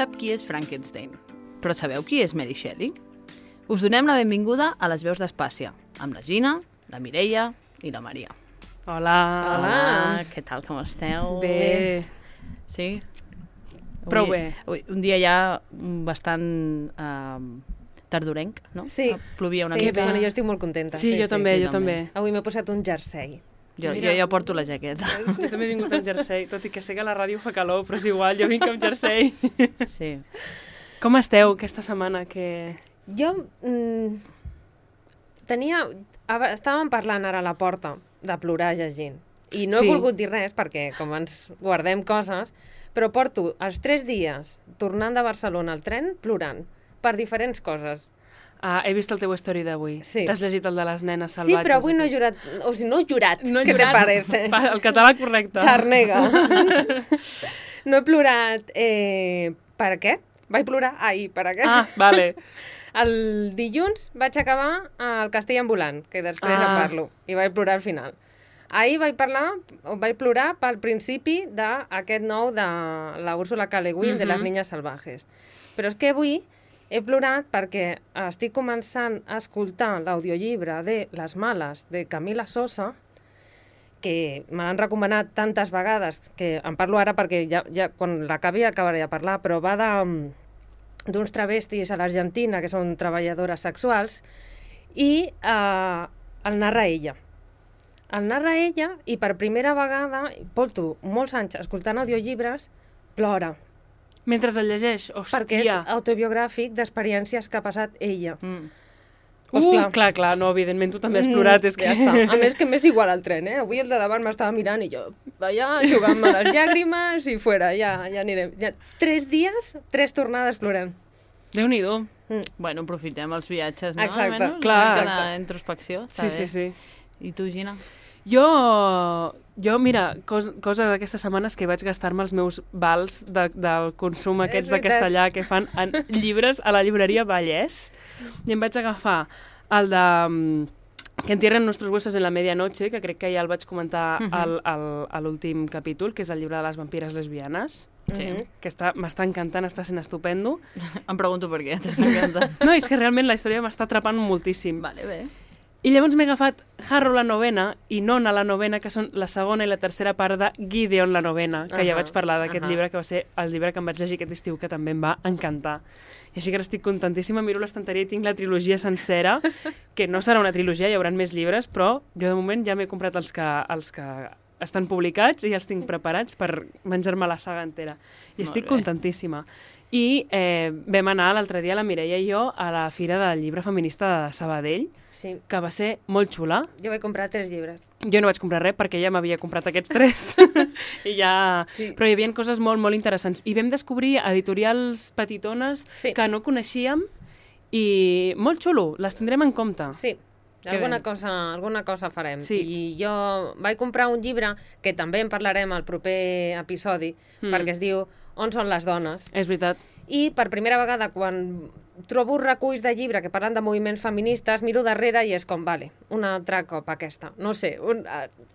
sap qui és Frankenstein, però sabeu qui és Mary Shelley? Us donem la benvinguda a les veus d'Espàcia, amb la Gina, la Mireia i la Maria. Hola. Hola, què tal, com esteu? Bé. Sí? Prou bé. Un dia ja bastant tardorenc, no? Sí. Plovia una Sí, mica. bueno, jo estic molt contenta. Sí, jo també, jo també. Avui m'he posat un jersei. Jo ja porto la jaqueta. Jo també he vingut amb jersei, tot i que sé que a la ràdio fa calor, però és igual, jo vinc amb jersei. Sí. Com esteu aquesta setmana? Jo estàvem parlant ara a la porta de plorar llegint. I no he volgut dir res perquè com ens guardem coses, però porto els 3 dies tornant de Barcelona al tren plorant per diferents coses. He vist el teu story d'avui. Sí. T'has llegit el de les nenes salvatges. Sí, però avui no he jurat. O sigui, no he jurat. Què te parece? El català correcte. Xarnega. No he plorat per aquest. Vaig plorar ahir per aquest. Ah, vale. El dilluns vaig acabar el Castell ambulant, que després en parlo, i vaig plorar al final. Ahir vaig plorar pel principi d'aquest nou de la Úrsula K. Le Guin, de Les niñas salvajes. Però és que avui he plorat perquè estic començant a escoltar l'audiollibre de Les males, de Camila Sosa, que me l'han recomanat tantes vegades, que en parlo ara perquè ja quan l'acabi acabaré de parlar, però va d'uns travestis a l'Argentina, que són treballadores sexuals, i el narra ella. El narra ella, i per primera vegada, porto molts anys escoltant audiollibres, plora. Mentre el llegeix, hòstia. Perquè és autobiogràfic d'experiències que ha passat ella. Clar, no, evidentment tu també has plorat. És que... Ja està. A més que m'és igual al tren, eh? Avui el de davant m'estava mirant i jo, allà, jugant-me les llàgrimes i fora, ja anirem. Ja, 3 dies, 3 tornades plorant. Déu-n'hi-do. Bueno, aprofitem els viatges, no? Exacte. Almenys, Clar. una introspecció. Sí. I tu, Gina? Jo, mira, cosa d'aquestes setmanes que vaig gastar-me els meus vals del consum aquests de castellà que fan en llibres a la llibreria Vallès, i em vaig agafar el de Que entierren nuestros huesos en la medianoche, que crec que ja el vaig comentar a l'últim capítol, que és el llibre de les vampires lesbianes, que m'està encantant, està sent estupendo. Em pregunto per què t'està encantant. No, és que realment la història m'està atrapant moltíssim. Vale, bé. I llavors m'he agafat Harrow la novena i Nona la novena, que són la segona i la tercera part de Gideon la novena, que ja vaig parlar d'aquest llibre, que va ser el llibre que em vaig llegir aquest estiu, que també em va encantar. I així que ara estic contentíssima, miro l'estanteria i tinc la trilogia sencera, que no serà una trilogia, hi haurà més llibres, però jo de moment ja m'he comprat els que estan publicats i ja els tinc preparats per menjar-me la saga entera. I estic contentíssima. I vam anar l'altre dia, la Mireia i jo, a la Fira del Llibre Feminista de Sabadell, que va ser molt xula. Jo vaig comprar 3 llibres. Jo no vaig comprar res perquè ja m'havia comprat aquests 3. Però hi havia coses molt, molt interessants. I vam descobrir editorials petitones que no coneixíem i molt xulo, les tindrem en compte. Sí. Alguna cosa farem. Sí. I jo vaig comprar un llibre que també en parlarem al proper episodi, perquè es diu On són les dones? És veritat. I per primera vegada, quan trobo reculls de llibre que parlen de moviments feministes, miro darrere i és com, vale, un altre cop aquesta. No sé,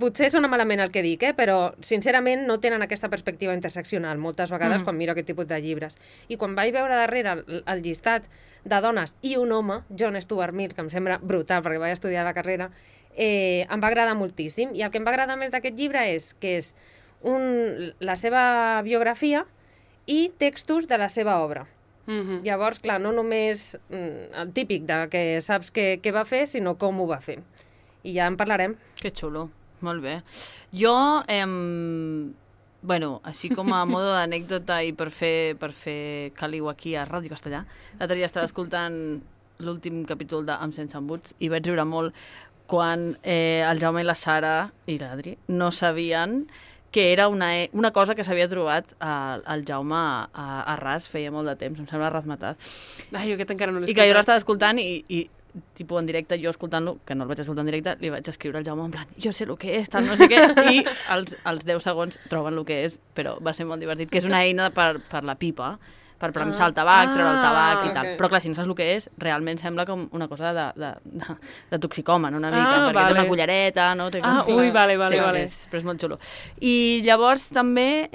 potser sona malament el que dic, però sincerament no tenen aquesta perspectiva interseccional moltes vegades quan miro aquest tipus de llibres. I quan vaig veure darrere el llistat de dones i un home, John Stuart Mill, que em sembla brutal perquè vaig estudiar la carrera, em va agradar moltíssim. I el que em va agradar més d'aquest llibre és que és la seva biografia i textos de la seva obra. Llavors, clar, no només el típic de que saps què va fer, sinó com ho va fer. I ja en parlarem. Que xulo, molt bé. Jo, així com a modo d'anècdota i per fer caliu aquí a Ràdio Castellà, l'altre dia estava escoltant l'últim capítol de Amb sense embuts i vaig riure molt quan el Jaume i la Sara i l'Adri no sabien que era una cosa que s'havia trobat el Jaume a Ras feia molt de temps, em sembla rasmatat. Ai, jo aquest encara no l'he escoltat. I que jo l'estava escoltant i tipus en directe, jo escoltant-lo, que no el vaig escoltar en directe, li vaig escriure al Jaume en plan, jo sé el que és, tal, no sé què, i als 10 segons troben el que és, però va ser molt divertit, que és una eina per la pipa, per premsar el tabac, treure el tabac i tal. Però clar, si no saps el que és, realment sembla com una cosa de toxicòman, una mica, perquè té una cullereta, no? Ui, vale. Però és molt xulo. I llavors també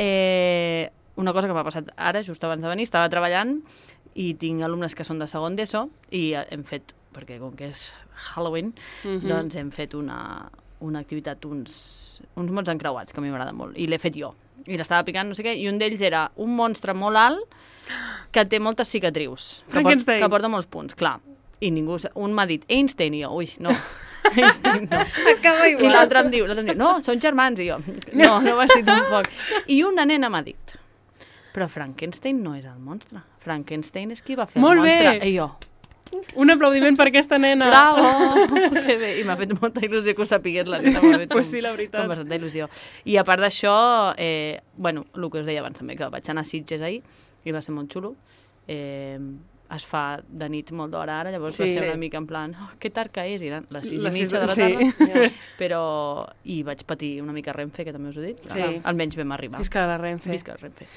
una cosa que m'ha passat ara, just abans de venir, estava treballant i tinc alumnes que són de segon d'ESO i hem fet, perquè com que és Halloween, doncs hem fet una activitat, uns mots encreuats, que a mi m'agrada molt, i l'he fet jo. I l'estava picant, no sé què, i un d'ells era un monstre molt alt que té moltes cicatrius. Frankenstein. Que porta molts punts, clar. I ningú... Un m'ha dit Einstein, i jo, ui, no. Einstein, no. Acaba igual. I l'altre em diu, no, són germans, i jo, no va ser tampoc. I una nena m'ha dit, però Frankenstein no és el monstre. Frankenstein és qui va fer Molt el monstre. bé. I jo, Un aplaudiment per aquesta nena. bravo! Que bé. I m'ha fet molta il·lusió que ho sapigués la nena. Pues sí, la veritat. Com bastanta il·lusió. I a part d'això, bueno, el que us deia abans també, que vaig anar a Sitges ahir i va ser molt xulo. Es fa de nit molt d'hora ara, llavors va ser una mica en plan, que tard que és, i eren les 6:30 de la tarda, però... I vaig patir una mica Renfe, que també us ho he dit. Sí. Almenys vam arribar. Visca la Renfe. Visca la Renfe.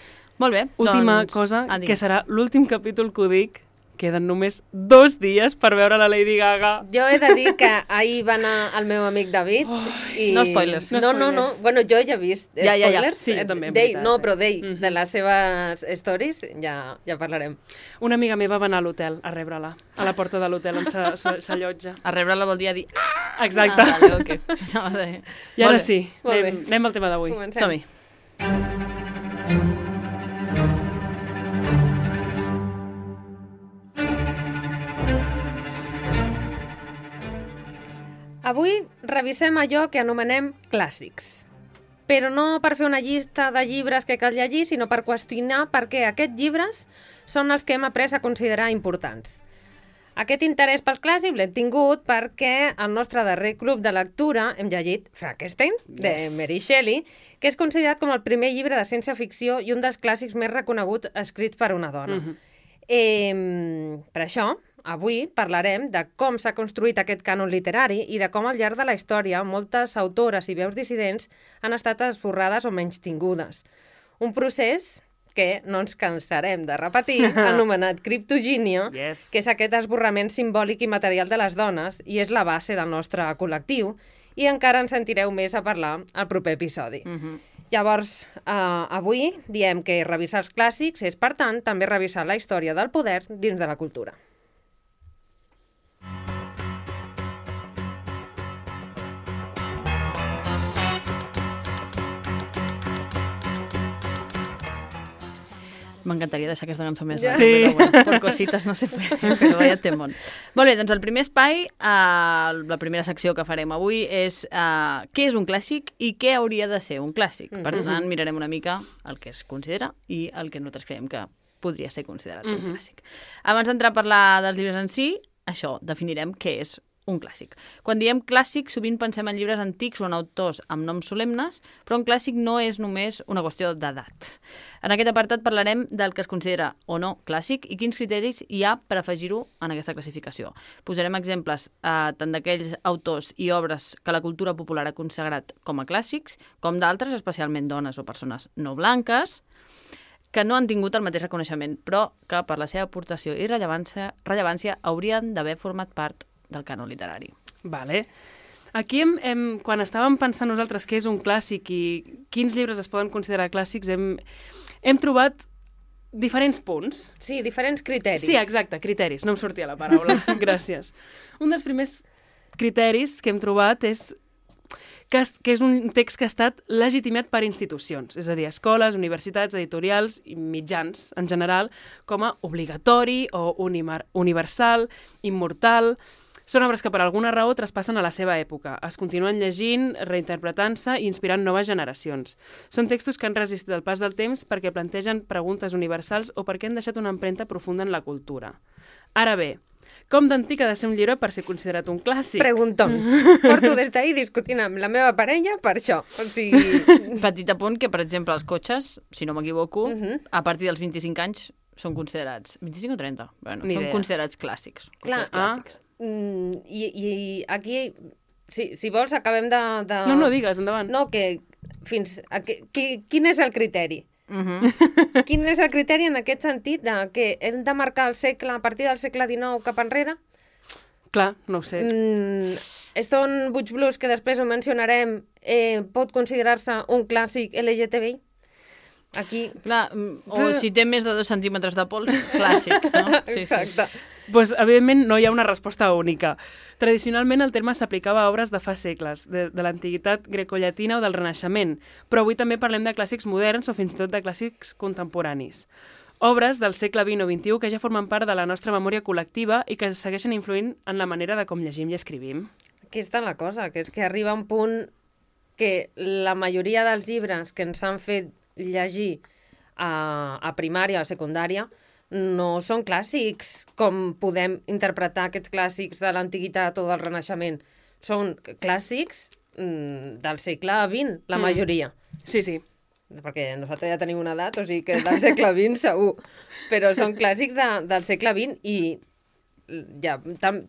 Molt bé. Última doncs... cosa, que serà l'últim capítol que ho dic. Queden només 2 dies per veure la Lady Gaga. Jo he de dir que ahir va anar el meu amic David i... No spoilers. No. Bueno, jo ja he vist spoilers. Sí, jo també, en d'ell, veritat. no, però d'ell, de les seves stories, ja parlarem. Una amiga meva va anar a l'hotel a rebre-la, a la porta de l'hotel on s'allotja. A rebre-la vol dir a dir... Exacte. Vale, okay. I ara sí, Molt bé. anem al tema d'avui. Comencem. Som-hi. Avui revisem allò que anomenem clàssics. Però no per fer una llista de llibres que cal llegir, sinó per qüestionar per què aquests llibres són els que hem après a considerar importants. Aquest interès pel clàssic l'hem tingut perquè al nostre darrer club de lectura hem llegit Frankenstein, de Mary Shelley, que és considerat com el primer llibre de ciència-ficció i un dels clàssics més reconeguts escrits per una dona. Per això, avui parlarem de com s'ha construït aquest cànon literari i de com al llarg de la història moltes autores i veus dissidents han estat esborrades o menystingudes. Un procés que no ens cansarem de repetir, anomenat criptogínia, que és aquest esborrament simbòlic i material de les dones i és la base del nostre col·lectiu, i encara en sentireu més a parlar al proper episodi. Llavors, avui diem que revisar els clàssics és, per tant, també revisar la història del poder dins de la cultura. M'encantaria deixar aquesta cançó més Ja. llarga, però bueno, per cosites no se puede, però vaya temón. Molt bé, doncs el primer espai, la primera secció que farem avui és què és un clàssic i què hauria de ser un clàssic. Per tant, mirarem una mica el que es considera i el que nosaltres creiem que podria ser considerat un clàssic. Abans d'entrar a parlar dels llibres en si, això, definirem què és un clàssic. Quan diem clàssic, sovint pensem en llibres antics o en autors amb noms solemnes, però un clàssic no és només una qüestió d'edat. En aquest apartat parlarem del que es considera o no clàssic i quins criteris hi ha per afegir-ho en aquesta classificació. Posarem exemples tant d'aquells autors i obres que la cultura popular ha consagrat com a clàssics, com d'altres, especialment dones o persones no blanques, que no han tingut el mateix reconeixement, però que per la seva aportació i rellevància haurien d'haver format part del cànon literari. Vale. Aquí, quan estàvem pensant nosaltres què és un clàssic i quins llibres es poden considerar clàssics, hem trobat diferents punts. Sí, diferents criteris. Sí, exacte, criteris. No em sortia la paraula. Gràcies. Un dels primers criteris que hem trobat és que és un text que ha estat legitimat per institucions, és a dir, escoles, universitats, editorials i mitjans, en general, com a obligatori o universal, immortal. Són obres que per alguna raó traspassen a la seva època, es continuen llegint, reinterpretant-se i inspirant noves generacions. Són textos que han resistit el pas del temps perquè plantegen preguntes universals o perquè han deixat una empremta profunda en la cultura. Ara bé, com d'antic ha de ser un llibre per ser considerat un clàssic? Preguntón. Porto des d'ahir discutint amb la meva parella per això. O sigui... Petit apunt que, per exemple, els cotxes, si no m'equivoco, a partir dels 25 anys són considerats... 25 o 30? Bueno, són considerats clàssics. Clar, clàssics. I aquí, si vols, acabem de... No, digues, endavant. No, que fins... Quin és el criteri? Quin és el criteri en aquest sentit de que hem de marcar el segle a partir del segle XIX cap enrere? Clar, no ho sé. Stone Butch Blues, que després ho mencionarem, pot considerar-se un clàssic LGTBI? Aquí... Clar, o si té més de 2 centímetres de pols, clàssic, no? Sí, Exacte. Pues, evidentment, no hi ha una resposta única. Tradicionalment, el terme s'aplicava a obres de fa segles, de l'antiguitat grecollatina o del Renaixement, però avui també parlem de clàssics moderns o fins i tot de clàssics contemporanis. Obres del segle XX o XXI que ja formen part de la nostra memòria col·lectiva i que segueixen influint en la manera de com llegim i escrivim. Aquí està la cosa, que és que arriba un punt que la majoria dels llibres que ens han fet llegir a primària o secundària no són clàssics com podem interpretar aquests clàssics de l'antiguitat o del Renaixement. Són clàssics del segle XX, la majoria. Sí, sí. Perquè nosaltres ja tenim una edat, o sigui que del segle XX segur. Però són clàssics del segle XX i ja,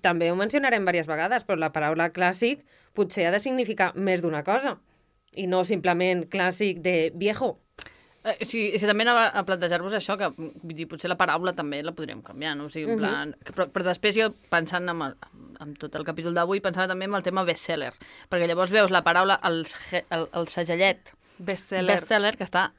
també ho mencionarem diverses vegades, però la paraula clàssic potser ha de significar més d'una cosa i no simplement clàssic de viejo. Sí, és que també anava a plantejar-vos això, que vull dir, potser la paraula també la podríem canviar, no? O sigui, en plan... Però després jo, pensant en tot el capítol d'avui, pensava també en el tema bestseller, perquè llavors veus la paraula, el segellet bestseller, que està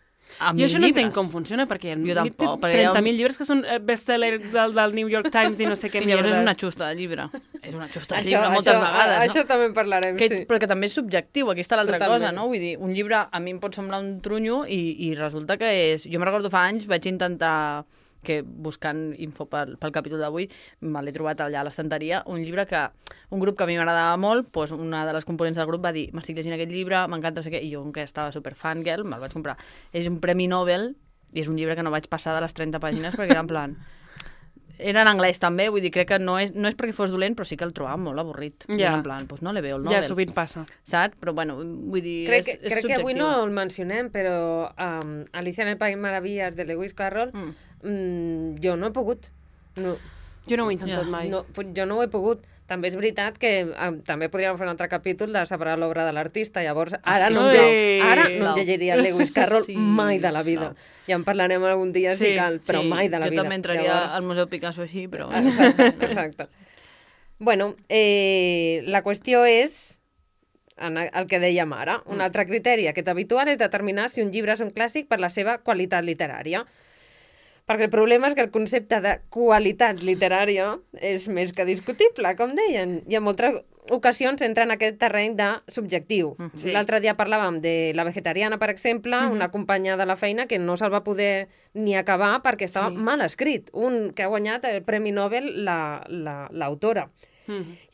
a 1.000 llibres. Jo això no entenc com funciona, perquè hi ha 30.000 llibres que són bestseller del New York Times i no sé què mierdes. I llavors és una xusta de llibre. És una xusta de llibre moltes vegades, no? Això també en parlarem, sí. Però que també és subjectiu, aquí està l'altra cosa, no? Vull dir, un llibre a mi em pot semblar un trunyo i resulta que és... Jo me'n recordo fa anys, vaig intentar que buscant info pel capítol d'avui me l'he trobat allà a l'estanteria, un llibre que un grup que a mi m'agradava molt, doncs una de les components del grup va dir, m'estic llegint aquest llibre, m'encanta no sé què, i jo, que estava super fangirl, me'l vaig comprar. És un premi Nobel i és un llibre que no vaig passar de les 30 pàgines perquè era en plan... Era en anglès també, vull dir, crec que no és perquè fos dolent, però sí que el trobava molt avorrit. Ja. En plan, doncs no le veo el Nobel. Ja, sovint passa. Saps? Però bueno, vull dir, crec és subjectiu. que avui no el mencionem, però Alicia en el País Maravillas de Lewis Carroll, jo no he pogut. No. Jo no ho he intentat mai. No, jo no ho he pogut. També és veritat que també podríem fer un altre capítol de separar l'obra de l'artista. Llavors, ara no em llegiria Lewis Carroll mai de la vida. Ja en parlarem algun dia si cal, però mai de la vida. Jo també entraria al Museu Picasso així, però... Exacte. Bueno, la qüestió és el que dèiem ara. Un altre criteri aquest habitual és determinar si un llibre és un clàssic per la seva qualitat literària. Perquè el problema és que el concepte de qualitat literària és més que discutible, com deien. I en moltes ocasions entra en aquest terreny de subjectiu. Sí. L'altre dia parlàvem de La vegetariana, per exemple, una companya de la feina que no se'l va poder ni acabar perquè estava mal escrit. Un que ha guanyat el Premi Nobel l'autora.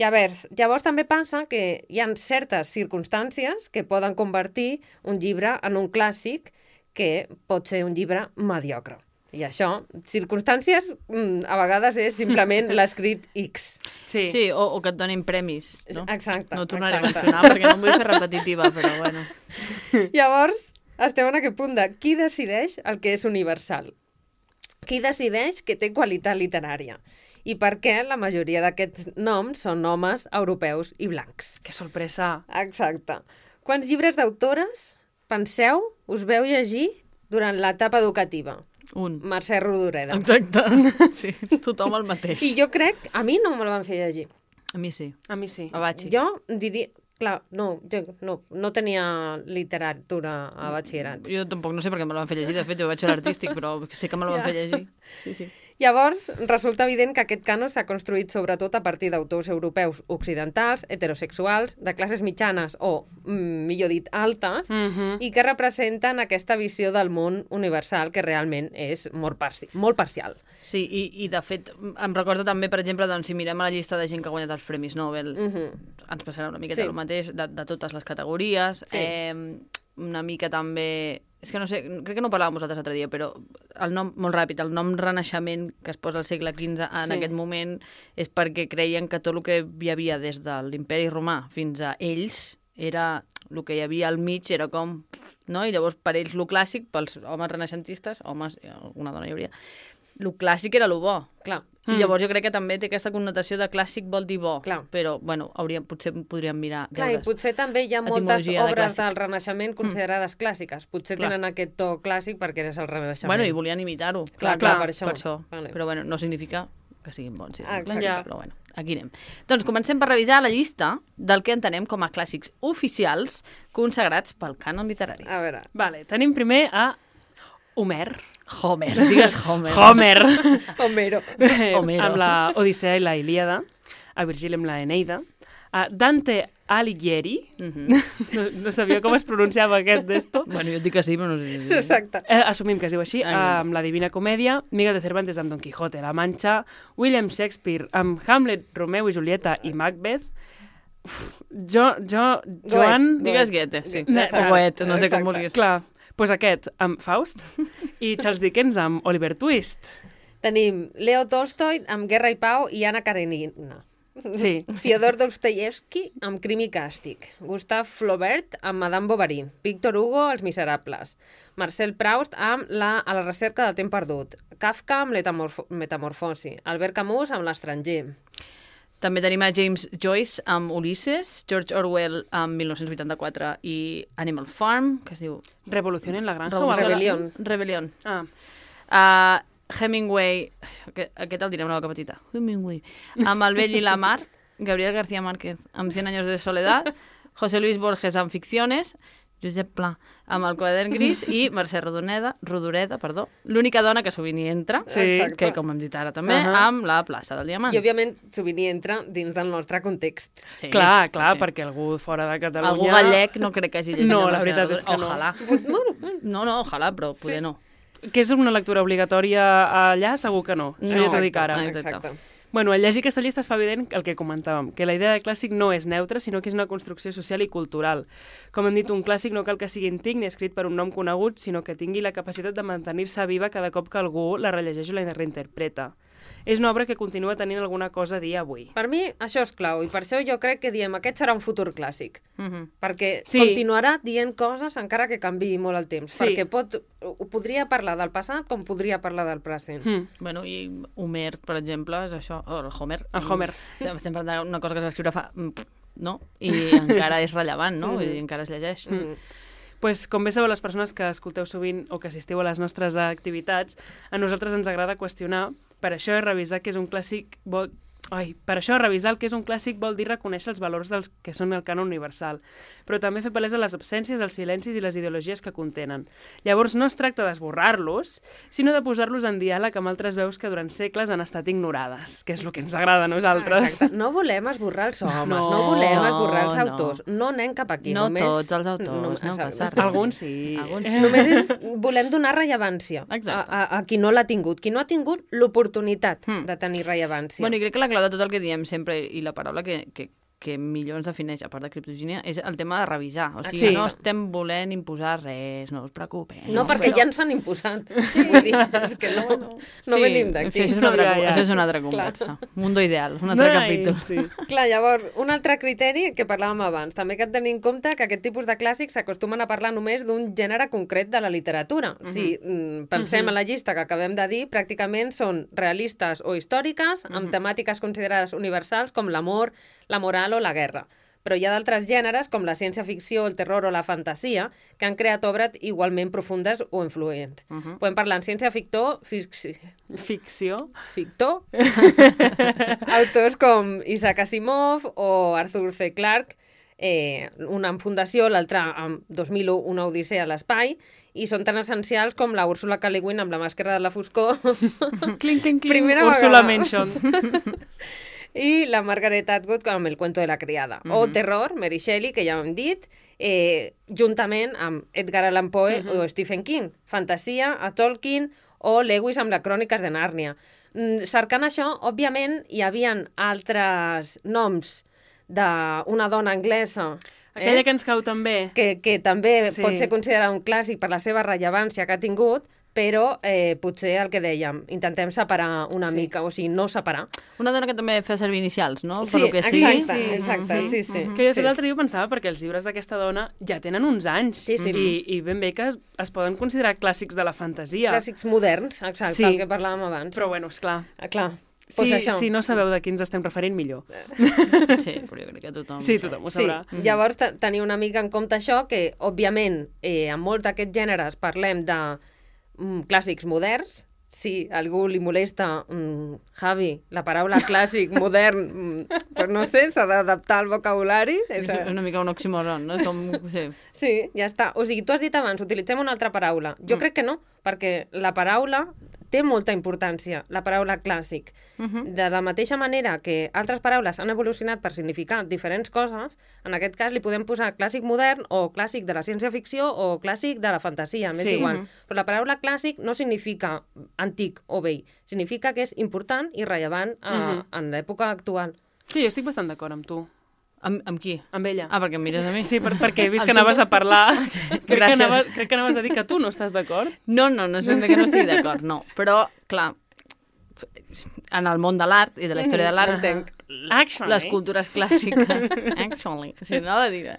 Llavors també passa que hi ha certes circumstàncies que poden convertir un llibre en un clàssic que pot ser un llibre mediocre. I això, circumstàncies, a vegades és simplement l'escrit X. Sí, o que et donin premis, no? Exacte. No ho tornaré a mencionar perquè no em vull fer repetitiva, però bueno. Llavors, estem en aquest punt de qui decideix el que és universal? Qui decideix que té qualitat literària? I per què la majoria d'aquests noms són homes europeus i blancs? Que sorpresa! Exacte. Quants llibres d'autores, penseu, us veu llegir durant l'etapa educativa? Un. Mercè Rodoreda. Exacte. Sí, tothom el mateix. I jo crec... A mi no me la van fer llegir. A mi sí. A mi sí. A batxi. Jo diria... Clar, jo no tenia literatura a batxillerat. Jo tampoc, no sé per què me la van fer llegir. De fet, jo vaig ser l'artístic, però sí que me la van fer llegir. Sí. Llavors, resulta evident que aquest cànon s'ha construït sobretot a partir d'autors europeus occidentals, heterosexuals, de classes mitjanes o, millor dit, altes, i que representen aquesta visió del món universal que realment és molt parcial. Sí, i de fet, em recordo també, per exemple, doncs, si mirem a la llista de gent que ha guanyat els Premis Nobel, ens passarà una miqueta el mateix, de totes les categories. Sí. Una mica també... És que no sé, crec que no ho parlàvem vosaltres l'altre dia, però el nom, molt ràpid, el nom Renaixement que es posa al segle XV en aquest moment és perquè creien que tot el que hi havia des de l'imperi romà fins a ells era el que hi havia al mig, era com... No? I llavors per ells lo clàssic, pels homes renaixentistes, homes, alguna dona hi hauria, lo clàssic era lo bo. Clar. I llavors jo crec que també té aquesta connotació de clàssic vol dir bo. Clar. Però, bueno, potser podríem mirar Clar, i potser també hi ha moltes obres del Renaixement considerades clàssiques. Potser tenen aquest to clàssic perquè eres el Renaixement. Bueno, i volien imitar-ho. Clar, per això. Vale. Però, bueno, no significa que siguin bons. Sí, clàssics, però, bueno, aquí anem. Doncs comencem per revisar la llista del que entenem com a clàssics oficials consagrats pel cànon literari. A veure. Vale, tenim primer a Homer. Homer, digues Homer. Homer. Homero. Homero. Amb la Odissea i la Ilíada, a Virgili amb la Eneida, a Dante Alighieri, no sabia com es pronunciava aquest d'esto, Bueno, jo et dic que sí, però no sé. Sí. Exacte. assumim que es diu així, amb la Divina Comèdia, Miguel de Cervantes amb Don Quijote, La Mancha, William Shakespeare amb Hamlet, Romeu i Julieta i Macbeth, Joan... Digues Goethe, sí. Exacte. O Goethe, no sé com Exacte. vulguis. Clar, doncs aquest amb Faust i Charles Dickens amb Oliver Twist. Tenim Leo Tolstoi amb Guerra i Pau i Anna Karenina. Sí. Fyodor Dostoyevsky amb Crim i Càstig. Gustav Flaubert amb Madame Bovary. Víctor Hugo, Els Miserables. Marcel Proust amb A la recerca del temps perdut. Kafka amb Metamorfosi. Albert Camus amb L'estranger. També tenim a James Joyce amb Ulisses, George Orwell amb 1984 i Animal Farm, que es diu... Revolución en la granja. Rebelión. Rebelión. Ah, Hemingway, aquest el diré amb la boca petita, Hemingway, amb El vell i la mar, Gabriel García Márquez amb 100 años de soledad, José Luis Borges amb Ficciones, Josep Pla amb El quadern gris i Mercè Rodoreda, l'única dona que sovint hi entra, Sí. Exacte. que com hem dit ara també, amb La plaça del Diamant. I, òbviament, sovint hi entra dins del nostre context. Sí, clar, sí. perquè algú fora de Catalunya... Algú gallec no crec que hagi llegit No, el la Mercè veritat és que no. Ojalà. No, ojalà, però poder no. Que és una lectura obligatòria allà? Segur que no. No. Això ja t'ho dic ara. Exacte. Bueno, al llegir aquesta llista es fa evident el que comentàvem, que la idea de clàssic no és neutra, sinó que és una construcció social i cultural. Com hem dit, un clàssic no cal que sigui antic ni escrit per un nom conegut, sinó que tingui la capacitat de mantenir-se viva cada cop que algú la rellegeix o la reinterpreta. És una obra que continua tenint alguna cosa a dir avui. Per mi, això és clau, i per això jo crec que diem aquest serà un futur clàssic. Perquè Sí. continuarà dient coses encara que canviï molt el temps. Sí. Perquè podria parlar del passat com podria parlar del present. Bueno, i Homer, per exemple, és això, el Homer. El Homer. Estem parlant d'una cosa que es va escriure fa... no? I encara és rellevant, no? Vull dir, encara es llegeix. Pues, com bé sabeu, les persones que escolteu sovint o que assistiu a les nostres activitats, a nosaltres ens agrada qüestionar, per això revisar que és un clàssic... Per això revisar el que és un clàssic vol dir reconèixer els valors dels que són el cànon universal, però també fer palesa les absències, els silencis i les ideologies que contenen. Llavors no es tracta d'esborrar-los, sinó de posar-los en diàleg amb altres veus que durant segles han estat ignorades, que és el que ens agrada a nosaltres. Exacte. No volem esborrar els homes, no, No, volem esborrar els no. autors. No anem cap aquí. No només... tots els autors, no passa res. Alguns sí. Alguns Només volem donar rellevància Exacte. a qui no l'ha tingut. Qui no ha tingut l'oportunitat de tenir rellevància. Bueno, i crec que la clau de tot el que diem sempre i la paraula que millor ens defineix, a part de criptogènia, és el tema de revisar. O sigui, Sí. no estem volent imposar res, no us preocupeu. No, perquè ja ens han imposat. Sí. Vull dir, és que no venim d'aquí. Això és una altra, Ja. això és una altra conversa. Mundo ideal, un altre capítol. Sí. Clar, llavors, un altre criteri que parlàvem abans, també que hem de tenir en compte que aquest tipus de clàssics s'acostumen a parlar només d'un gènere concret de la literatura. Si pensem en la llista que acabem de dir, pràcticament són realistes o històriques, amb temàtiques considerades universals com l'amor, la moral o la guerra. Però hi ha d'altres gèneres, com la ciència-ficció, el terror o la fantasia, que han creat obres igualment profundes o influents. Podem parlar en ciència-ficció, Ficció. autors com Isaac Asimov o Arthur C. Clarke, una en Fundació, l'altra amb 2001, una odissea a l'espai, i són tan essencials com la Úrsula K. Le Guin amb La màscara de la foscor. Cling, cling, cling. Primera Úrsula vegada. Mention. I la Margaret Atwood amb El cuento de la criada. O terror, Mary Shelley, que ja ho hem dit, juntament amb Edgar Allan Poe o Stephen King. Fantasia, a Tolkien o Lewis amb les cròniques de Nàrnia. Cercant això, òbviament, hi havia altres noms d'una dona anglesa Aquella que ens cau també. que també Sí. pot ser considerada un clàssic per la seva rellevància que ha tingut, però potser el que dèiem, intentem separar una mica, o sigui, no separar. Una dona que també fa servir inicials, no? Sí, Per lo que sigui. exacte, sí. Que jo de fet l'altre dia ho pensava perquè els llibres d'aquesta dona ja tenen uns anys. Sí. I ben bé que es poden considerar clàssics de la fantasia. Clàssics moderns, exacte, Sí. el que parlàvem abans. Però bueno, esclar. Clar, doncs això. Si no sabeu de qui ens estem referint, millor. Sí, però jo crec que tothom... Sí, tothom ho Sí, sabrà. llavors tenir una mica en compte això, que òbviament en molts d'aquests gèneres parlem de clàssics moderns, si a algú li molesta, Javi, la paraula clàssic, modern, però no sé, s'ha d'adaptar al vocabulari. És una mica un oxímoron, no? Com, sí. Sí, ja està. O sigui, tu has dit abans, utilitzem una altra paraula. Jo crec que no, perquè la paraula té molta importància, la paraula clàssic. De la mateixa manera que altres paraules han evolucionat per significar diferents coses, en aquest cas li podem posar clàssic modern o clàssic de la ciència-ficció o clàssic de la fantasia, m'és igual. Però la paraula clàssic no significa antic o vell, significa que és important i rellevant en l'època actual. Sí, jo estic bastant d'acord amb tu. Amb qui? Amb ella. Ah, perquè em mires a mi. Sí, perquè he vist que anaves a parlar. Crec que anaves a dir que tu no estàs d'acord. No és ben bé que no estic d'acord, no. Però, clar, en el món de l'art i de la història de l'art, les cultures clàssiques, si no de dir...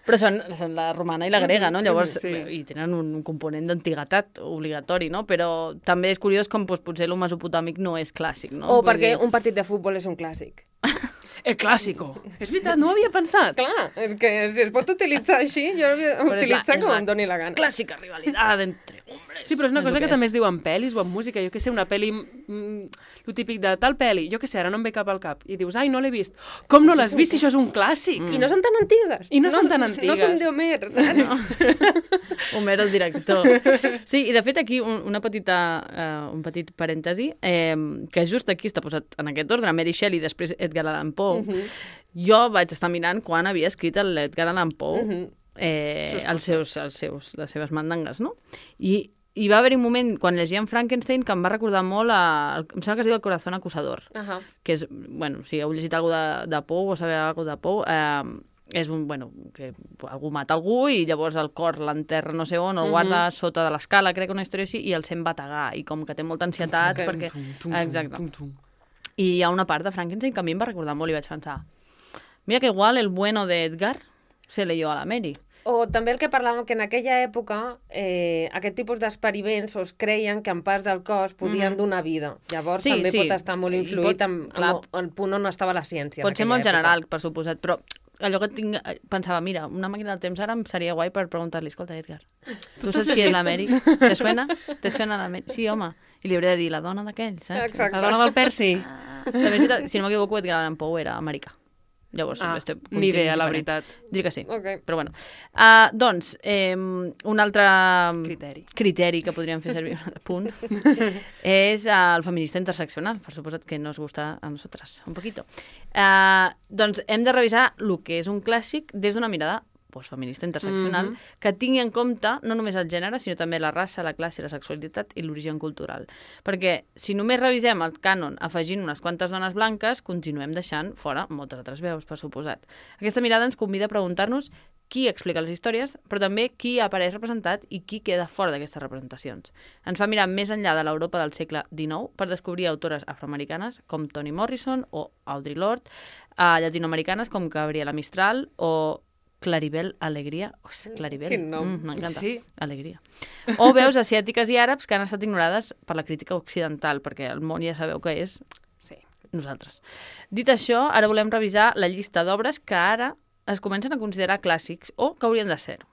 Però són la romana i la grega, no? Llavors, i tenen un component d'antiguitat obligatori, no? Però també és curiós com potser el mesopotàmic no és clàssic, no? O perquè un partit de futbol és un clàssic. El clàssico. És veritat, no ho havia pensat. Clar, és que si es pot utilitzar així, jo l'utilitzo com em doni la gana. Clàssica rivalitat entre hombres. Sí, però és una cosa que també es diu en pel·lis o en música. Jo què sé, una pel·li, lo típic de tal pel·li, jo què sé, ara no em ve cap al cap. I dius, ai, no l'he vist. Com no l'has vist si això és un clàssic? I no són tan antigues. I no són tan antigues. No són d'Homer, saps? Homer, el director. Sí, i de fet aquí un petit parèntesi, que just aquí està posat en aquest ordre, Mary Shelley, després Edgar Allan Poe. Jo vaig estar mirant quan havia escrit l'Edgar Allan Poe les seves mandangues, no? I va haver un moment, quan llegíem Frankenstein, que em va recordar molt em sembla que es diu El corazón acusador, que és, bueno, si heu llegit alguna de Poe o sabeu alguna de Poe, és que algú mata algú i llavors el cor l'enterra no sé on, el guarda sota de l'escala, crec, una història així, i el sent bategar, i com que té molta ansietat, perquè... Exacte. I hi ha una part de Frankenstein que a mi em va recordar molt i vaig pensar, mira que igual el bueno de Edgar se leyó a la Mary. O també el que parlàvem, que en aquella època aquest tipus d'experiments es creien que en parts del cos podien donar vida. Llavors també pot estar molt influït amb el punt on estava la ciència. Pot ser molt general, per suposat, però allò que pensava, mira, una màquina del temps ara em seria guai per preguntar-li, escolta, Edgar, tu saps qui és la Mary? Te suena? Te suena la Mary? Sí, home. I li hauré de dir, la dona d'aquell, saps? Exacte. La dona del Percy. També, si no m'equivoco, Edgar Allan Poe era americà. Llavors, ni idea, la veritat. Diria que sí, però bueno. Doncs, un altre criteri que podríem fer servir, un punt, és el feminista interseccional, per suposat que nos gusta a nosaltres, un poquito. Doncs hem de revisar el que és un clàssic des d'una mirada feminista interseccional, que tingui en compte no només el gènere, sinó també la raça, la classe, la sexualitat i l'origen cultural. Perquè si només revisem el cànon afegint unes quantes dones blanques, continuem deixant fora moltes altres veus, per suposat. Aquesta mirada ens convida a preguntar-nos qui explica les històries, però també qui apareix representat i qui queda fora d'aquestes representacions. Ens fa mirar més enllà de l'Europa del segle XIX per descobrir autores afroamericanes com Toni Morrison o Audre Lorde, llatinoamericanes com Gabriela Mistral o Claribel Alegria. Claribel. Quin nom. M'encanta. Sí. Alegria. O veus asiàtiques i àrabs que han estat ignorades per la crítica occidental, perquè el món ja sabeu que és nosaltres. Dit això, ara volem revisar la llista d'obres que ara es comencen a considerar clàssics o que haurien de ser-ho.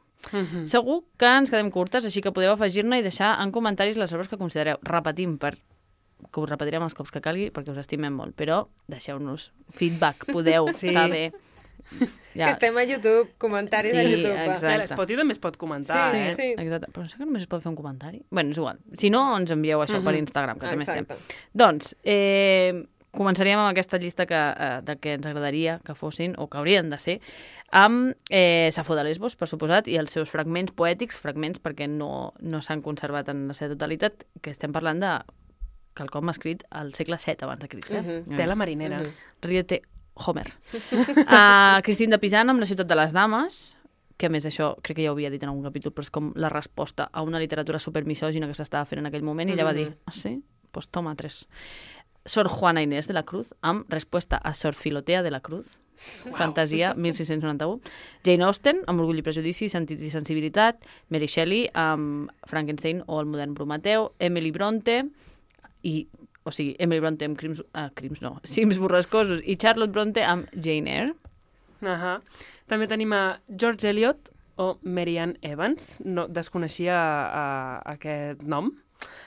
Segur que ens quedem curtes, així que podeu afegir-ne i deixar en comentaris les obres que considereu. Repetim, que us repetirem els cops que calgui perquè us estimem molt, però deixeu-nos feedback, podeu, està bé. Ja. Que estem a YouTube, comentaris a YouTube. Exacte. L'Spotty també es pot comentar, sí. Exacte. Però no sé que només es pot fer un comentari. Bé, és igual. Si no, ens envieu això per Instagram, que també estem. Doncs, començaríem amb aquesta llista de que ens agradaria que fossin, o que haurien de ser, amb Safo de Lesbos, per suposat, i els seus fragments poètics, fragments perquè no s'han conservat en la seva totalitat, que estem parlant de quelcom escrit al segle VII abans de Crist. Tela marinera. Ríete Homer. Cristín de Pizan amb La ciutat de les dames, que a més això crec que ja ho havia dit en algun capítol, però és com la resposta a una literatura supermisògina que s'estava fent en aquell moment, i ella va dir, sí? Pues toma 3. Sor Juana Inés de la Cruz, amb Respuesta a Sor Filotea de la Cruz, Fantasia, 1691. Jane Austen, amb Orgull i prejudici, Sentit i sensibilitat. Mary Shelley, amb Frankenstein o El modern Prometeu. Emily Bronte, Emily Bronte amb Cims borrascosos, i Charlotte Bronte amb Jane Eyre. També tenim a George Eliot o Mary Ann Evans. No, desconeixia aquest nom.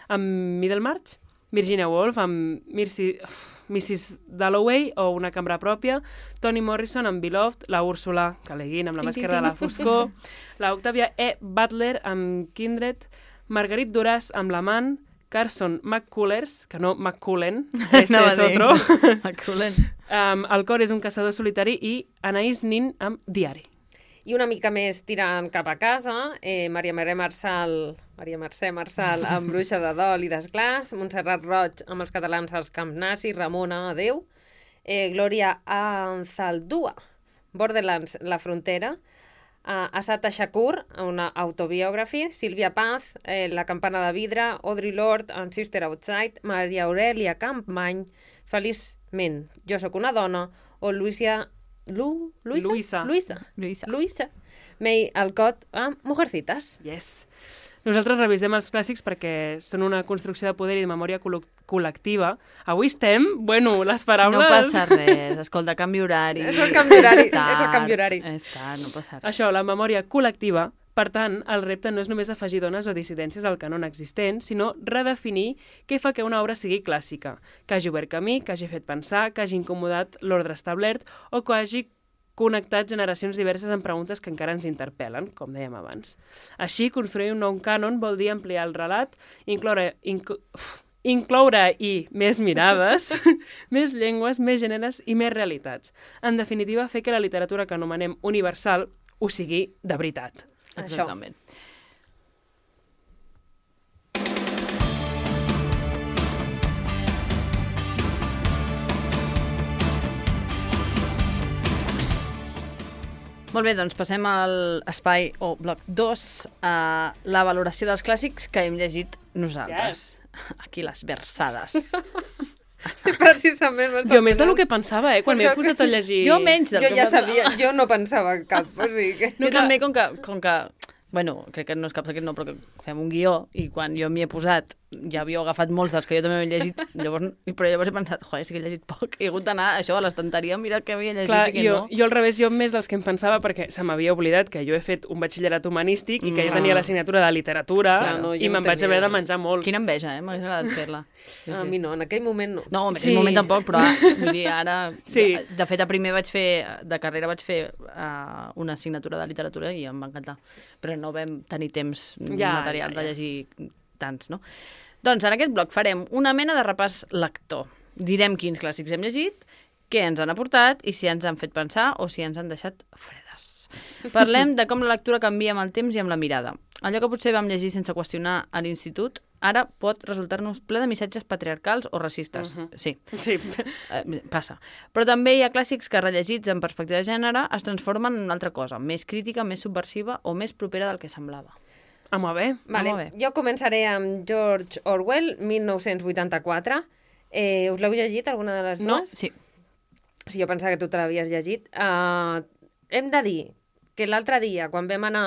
amb Middlemarch, Virginia Woolf amb Mrs. Dalloway o Una cambra pròpia, Toni Morrison amb Beloved, la Úrsula K. Le Guin amb La màscara de la foscor, la Octavia E. Butler amb Kindred, Marguerite Duras amb L'amant, Carson McCullers, que no McCullen, este es otro. McCullen. El cor és un caçador solitari i Anaïs Nin amb Diari. I una mica més tirant cap a casa, Maria Mercè Marçal amb Bruixa de Dol i d'Esclàs, Montserrat Roig amb Els catalans als Camp Nazi, Ramona, Adéu, Glòria Anzaldúa, Borderlands, La frontera, Assata Shakur, una autobiography, Sílvia Paz, La campana de vidre, Audre Lorde, en Sister Outside, Maria Aurelia Campmany, Feliçment, Jo sóc una dona, o Luisa May Alcott amb Mujercitas. Yes. Nosaltres revisem els clàssics perquè són una construcció de poder i de memòria col·lectiva. Avui estem, les paraules... No passa res, escolta, canvi horari. És el canvi horari. És tard, no passa res. Això, la memòria col·lectiva. Per tant, el repte no és només afegir dones o dissidències al canon existent, sinó redefinir què fa que una obra sigui clàssica, que hagi obert camí, que hagi fet pensar, que hagi incomodat l'ordre establert o que hagi connectat generacions diverses amb preguntes que encara ens interpel·len, com dèiem abans. Així, construir un nou cànon vol dir ampliar el relat, incloure més mirades, més llengües, més gèneres i més realitats. En definitiva, fer que la literatura que anomenem universal ho sigui de veritat. Exactament. Molt bé, doncs passem al espai o bloc 2, a la valoració dels clàssics que hem llegit nosaltres. Yes. Aquí les versades. Sí, precisament. Jo més del que pensava, quan m'he posat a llegir... Jo menys del que pensava. Jo ja sabia, jo no pensava cap. O sigui que... Jo també, com que bueno, crec que no és cap secret, no, però que fem un guió i quan jo m'hi he posat ja havíeu agafat molts dels que jo també he llegit, però llavors he pensat, joder, sí que he llegit poc, he hagut d'anar això a l'estanteria a mirar què havia llegit. Clar, i què no. Jo al revés, jo més dels que em pensava, perquè se m'havia oblidat que jo he fet un batxillerat humanístic i que jo tenia l'assignatura de literatura i me'n vaig haver de menjar molts. Quina enveja, m'hauria agradat fer-la. Sí. A mi no, en aquell moment no. No, en aquell moment tampoc, però vull dir, ara... Sí. De fet, a primer de carrera vaig fer una assignatura de literatura i em va encantar, però no vam tenir temps material de llegir tants, no? Doncs en aquest bloc farem una mena de repàs lector. Direm quins clàssics hem llegit, què ens han aportat i si ens han fet pensar o si ens han deixat fredes. Parlem de com la lectura canvia amb el temps i amb la mirada. Allò que potser vam llegir sense qüestionar a l'institut, ara pot resultar-nos ple de missatges patriarcals o racistes. Sí. Passa. Però també hi ha clàssics que, rellegits en perspectiva de gènere, es transformen en una altra cosa, més crítica, més subversiva o més propera del que semblava. Molt bé. Vale. Jo començaré amb George Orwell, 1984. Us l'heu llegit, alguna de les dues? No, sí. Jo pensava que tu te l'havies llegit. Hem de dir que l'altre dia, quan vam anar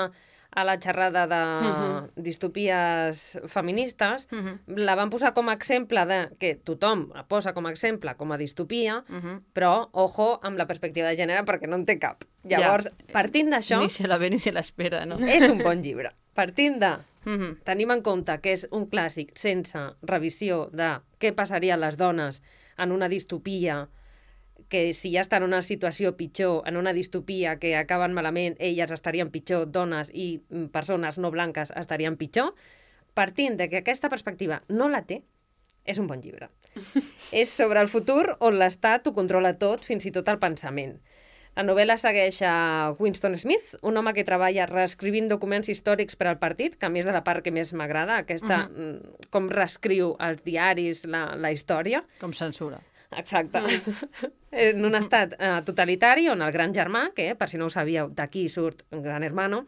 a la xerrada de distopies feministes, la van posar com a exemple de que tothom la posa com a exemple com a distopia, però, ojo, amb la perspectiva de gènere, perquè no en té cap. Llavors, partint d'això... Ni se la ve ni se l'espera, no? És un bon llibre. Partint de... Tenim en compte que és un clàssic sense revisió de què passaria a les dones en una distopia, que si ja estan en una situació pitjor, en una distopia que acaben malament, elles estarien pitjor, dones i persones no blanques estarien pitjor, partint de que aquesta perspectiva no la té, és un bon llibre. És sobre el futur on l'Estat ho controla tot, fins i tot el pensament. La novel·la segueix a Winston Smith, un home que treballa reescrivint documents històrics per al partit, que a mi és de la part que més m'agrada, aquesta, com reescriu els diaris, la història. Com censura. Exacte. En un estat totalitari on el gran germà, que, per si no ho sabíeu, d'aquí surt un gran hermano,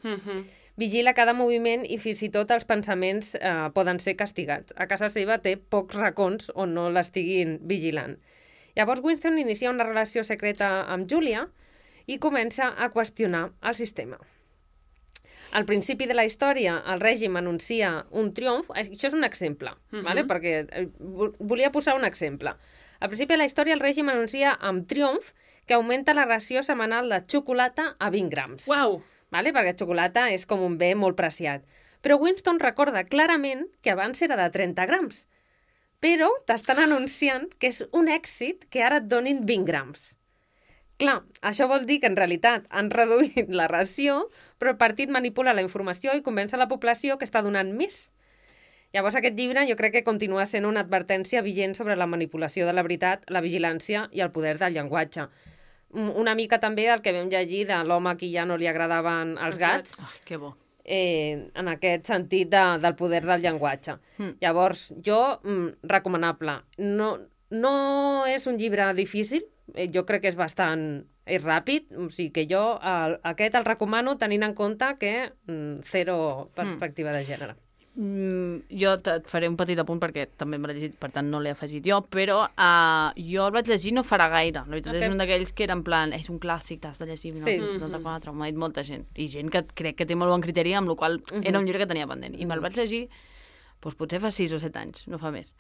vigila cada moviment i fins i tot els pensaments poden ser castigats. A casa seva té pocs racons on no l'estiguin vigilant. Llavors Winston inicia una relació secreta amb Julia i comença a qüestionar el sistema. Al principi de la història, el règim anuncia un triomf. Això és un exemple, ¿vale? Perquè volia posar un exemple. Al principi de la història, el règim anuncia amb triomf que augmenta la ració setmanal de xocolata a 20 grams. Uau! ¿Vale? Perquè xocolata és com un bé molt preciat. Però Winston recorda clarament que abans era de 30 grams. Però t'estan anunciant que és un èxit que ara et donin 20 grams. Clar, això vol dir que en realitat han reduït la ració, però el partit manipula la informació i convenç a la població que està donant més. Llavors aquest llibre jo crec que continua sent una advertència vigent sobre la manipulació de la veritat, la vigilància i el poder del llenguatge. Una mica també el que vam llegir de l'home a qui ja no li agradaven els gats. Ai, que bo. En aquest sentit del poder del llenguatge. Llavors, recomanable. No és un llibre difícil, jo crec que és bastant ràpid, o sigui que jo aquest el recomano tenint en compte que zero perspectiva de gènere. Jo et faré un petit apunt perquè també me l'he llegit, per tant no l'he afegit jo, però jo el vaig llegir no farà gaire. La veritat és un d'aquells que era en plan, és un clàssic, t'has de llegir 1974, m'ha dit molta gent. I gent que crec que té molt bon criteri, amb la qual era un llibre que tenia pendent. I me'l vaig llegir, doncs potser fa 6 o 7 anys, no fa més.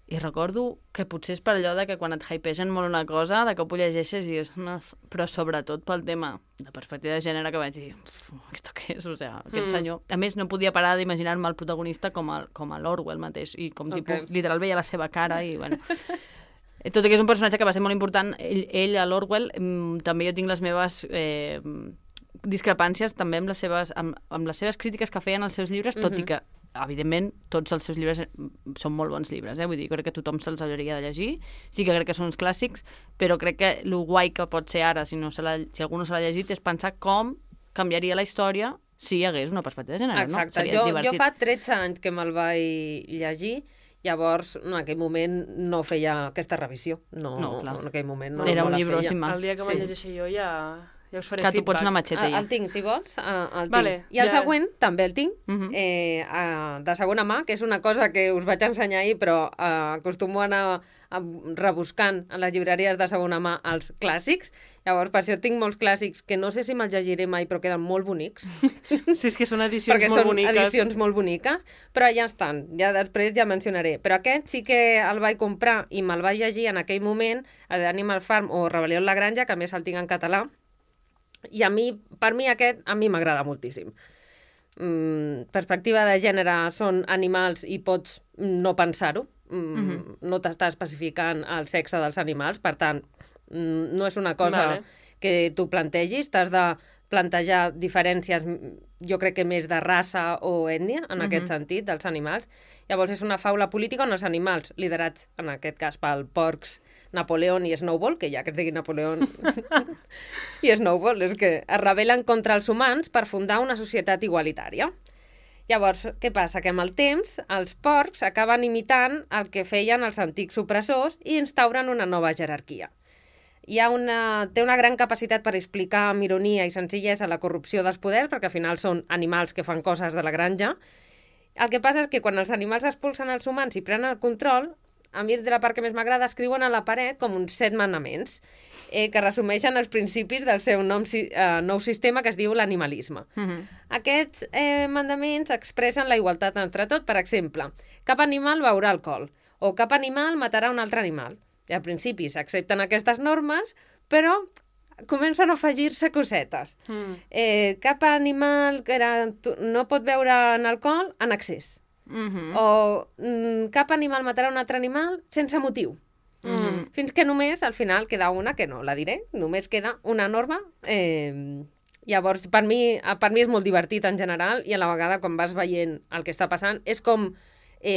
I recordo que potser és per allò de que quan et hypegen molt una cosa, de cop ho llegeixes i dius, però sobretot pel tema de perspectiva de gènere que vaig dir, ¿esto qué és? O sigui, aquest senyor... A més, no podia parar d'imaginar-me el protagonista com a l'Orwell mateix, i com tipus, literal veia la seva cara i, bueno... Tot i que és un personatge que va ser molt important, ell a l'Orwell, també jo tinc les meves discrepàncies també amb les seves crítiques que feien als seus llibres, tot i que evidentment, tots els seus llibres són molt bons llibres, vull dir, crec que tothom se'ls hauria de llegir, sí que crec que són uns clàssics, però crec que el guai que pot ser ara, si algú no se l'ha llegit, és pensar com canviaria la història si hi hagués una perspectiva de gènere, no? Exacte, jo fa 13 anys que me'l vaig llegir, llavors en aquell moment no feia aquesta revisió, no en aquell moment no. Era un llibre sin más. El dia que me'l llegeixi jo ja us faré feedback. Que tu pots anar matxeta ja. El tinc, si vols, el tinc. Vale, I el següent també el tinc, de segona mà, que és una cosa que us vaig ensenyar ahir, però acostumo a anar rebuscant a les llibreries de segona mà els clàssics. Llavors, per això tinc molts clàssics que no sé si me'ls llegiré mai, però queden molt bonics. Sí, és que són edicions perquè molt boniques. Perquè són edicions molt boniques, però ja estan. Ja després ja mencionaré. Però aquest sí que el vaig comprar i me'l vaig llegir en aquell moment, el d'Animal Farm o Rebel·lió en la Granja, que a més el tinc en català. I per mi aquest m'agrada moltíssim. Perspectiva de gènere són animals i pots no pensar-ho. No t'està especificant el sexe dels animals, per tant, no és una cosa que tu plantegis, t'has de plantejar diferències, jo crec que més de raça o ètnia, en aquest sentit, dels animals. Llavors és una faula política on els animals, liderats en aquest cas pel porcs Napoleon i Snowball, que ja que es digui Napoleon i Snowball, és que es rebel·len contra els humans per fundar una societat igualitària. Llavors, què passa? Que amb el temps els porcs acaben imitant el que feien els antics opressors i instauren una nova jerarquia. Té una gran capacitat per explicar amb ironia i senzillesa la corrupció dels poders, perquè al final són animals que fan coses de la granja. El que passa és que quan els animals expulsen els humans i prenen el control, a mi de la part que més m'agrada, escriuen a la paret com uns 7 manaments que resumeixen els principis del seu nou sistema que es diu l'animalisme. Aquests mandaments expressen la igualtat entre tot. Per exemple, cap animal beurà alcohol o cap animal matarà un altre animal. I al principi s'accepten aquestes normes, però comencen a afegir-se cosetes. Cap animal no pot beure alcohol en excés. O cap animal matarà un altre animal sense motiu. Fins que només, al final, queda una, que no la diré, només queda una norma. Llavors, per mi és molt divertit en general i a la vegada, quan vas veient el que està passant, és com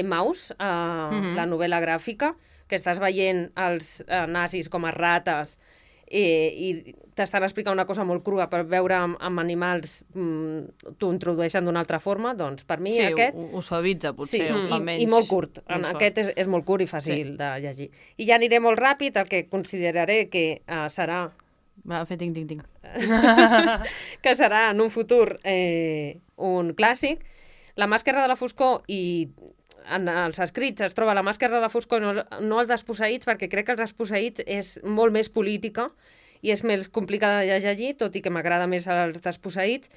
Maus, la novel·la gràfica, que estàs veient els nazis com a rates i t'estan explicant una cosa molt crua, per veure amb animals t'ho introdueixen d'una altra forma, doncs per mi aquest... Sí, ho suavitza, potser, ho fa menys... I molt curt. Aquest és molt curt i fàcil de llegir. I ja aniré molt ràpid, el que consideraré que serà... Va, fer ting. Que serà en un futur un clàssic. La màscara de la foscor i... En els escrits es troba la màscara de la foscor, no els desposseïts, perquè crec que els desposseïts és molt més política i és més complicada de llegir, tot i que m'agrada més els desposseïts.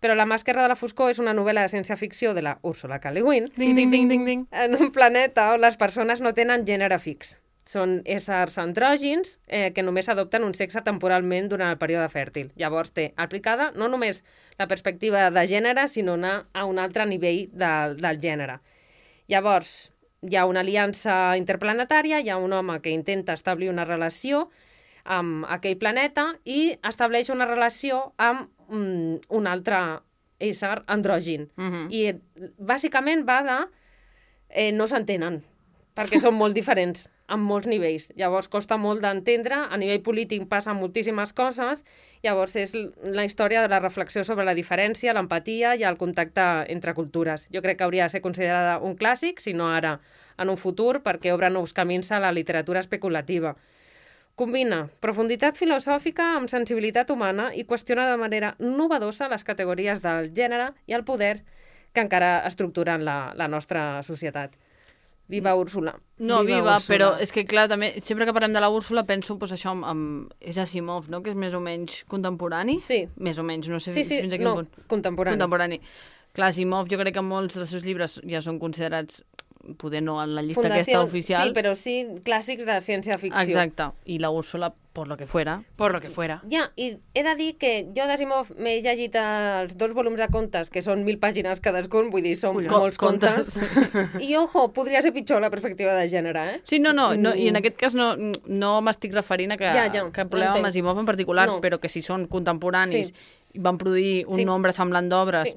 Però la màscara de la foscor és una novel·la de ciència-ficció de la Ursula K. Le Guin. Ding. En un planeta on les persones no tenen gènere fix. Són éssers andrògins que només adopten un sexe temporalment durant el període fèrtil. Llavors té aplicada no només la perspectiva de gènere, sinó anar a un altre nivell del gènere. Llavors, hi ha una aliança interplanetària, hi ha un home que intenta establir una relació amb aquell planeta i estableix una relació amb un altre ésser andrògin. I bàsicament va de... no s'entenen, perquè són molt diferents en molts nivells. Llavors costa molt d'entendre, a nivell polític passen moltíssimes coses, llavors és la història de la reflexió sobre la diferència, l'empatia i el contacte entre cultures. Jo crec que hauria de ser considerada un clàssic, si no ara en un futur, perquè obre nous camins a la literatura especulativa. Combina profunditat filosòfica amb sensibilitat humana i qüestiona de manera novedosa les categories del gènere i el poder que encara estructuren la nostra societat. Viva Úrsula. No, viva, però és que, clar, també, sempre que parlem de la Úrsula penso doncs, això és Asimov, no?, que és més o menys contemporani. Sí. Més o menys, no sé Sí, fins a quin punt. Contemporani. Clar, Asimov jo crec que molts dels seus llibres ja són considerats, poder no en la llista aquesta oficial. Sí, però sí clàssics de ciència-ficció. Exacte. I la Úrsula, por lo que fuera. Por lo que fuera. Ja, i he de dir que jo d'Asimov m'he llegit els 2 volums de contes, que són 1.000 pàgines cadascun, vull dir, són molts contes. I, ojo, podria ser pitjor la perspectiva de gènere, eh? Sí, no, i en aquest cas no m'estic referint a que cap problema amb Asimov en particular, però que si són contemporanis i van produir un nombre semblant d'obres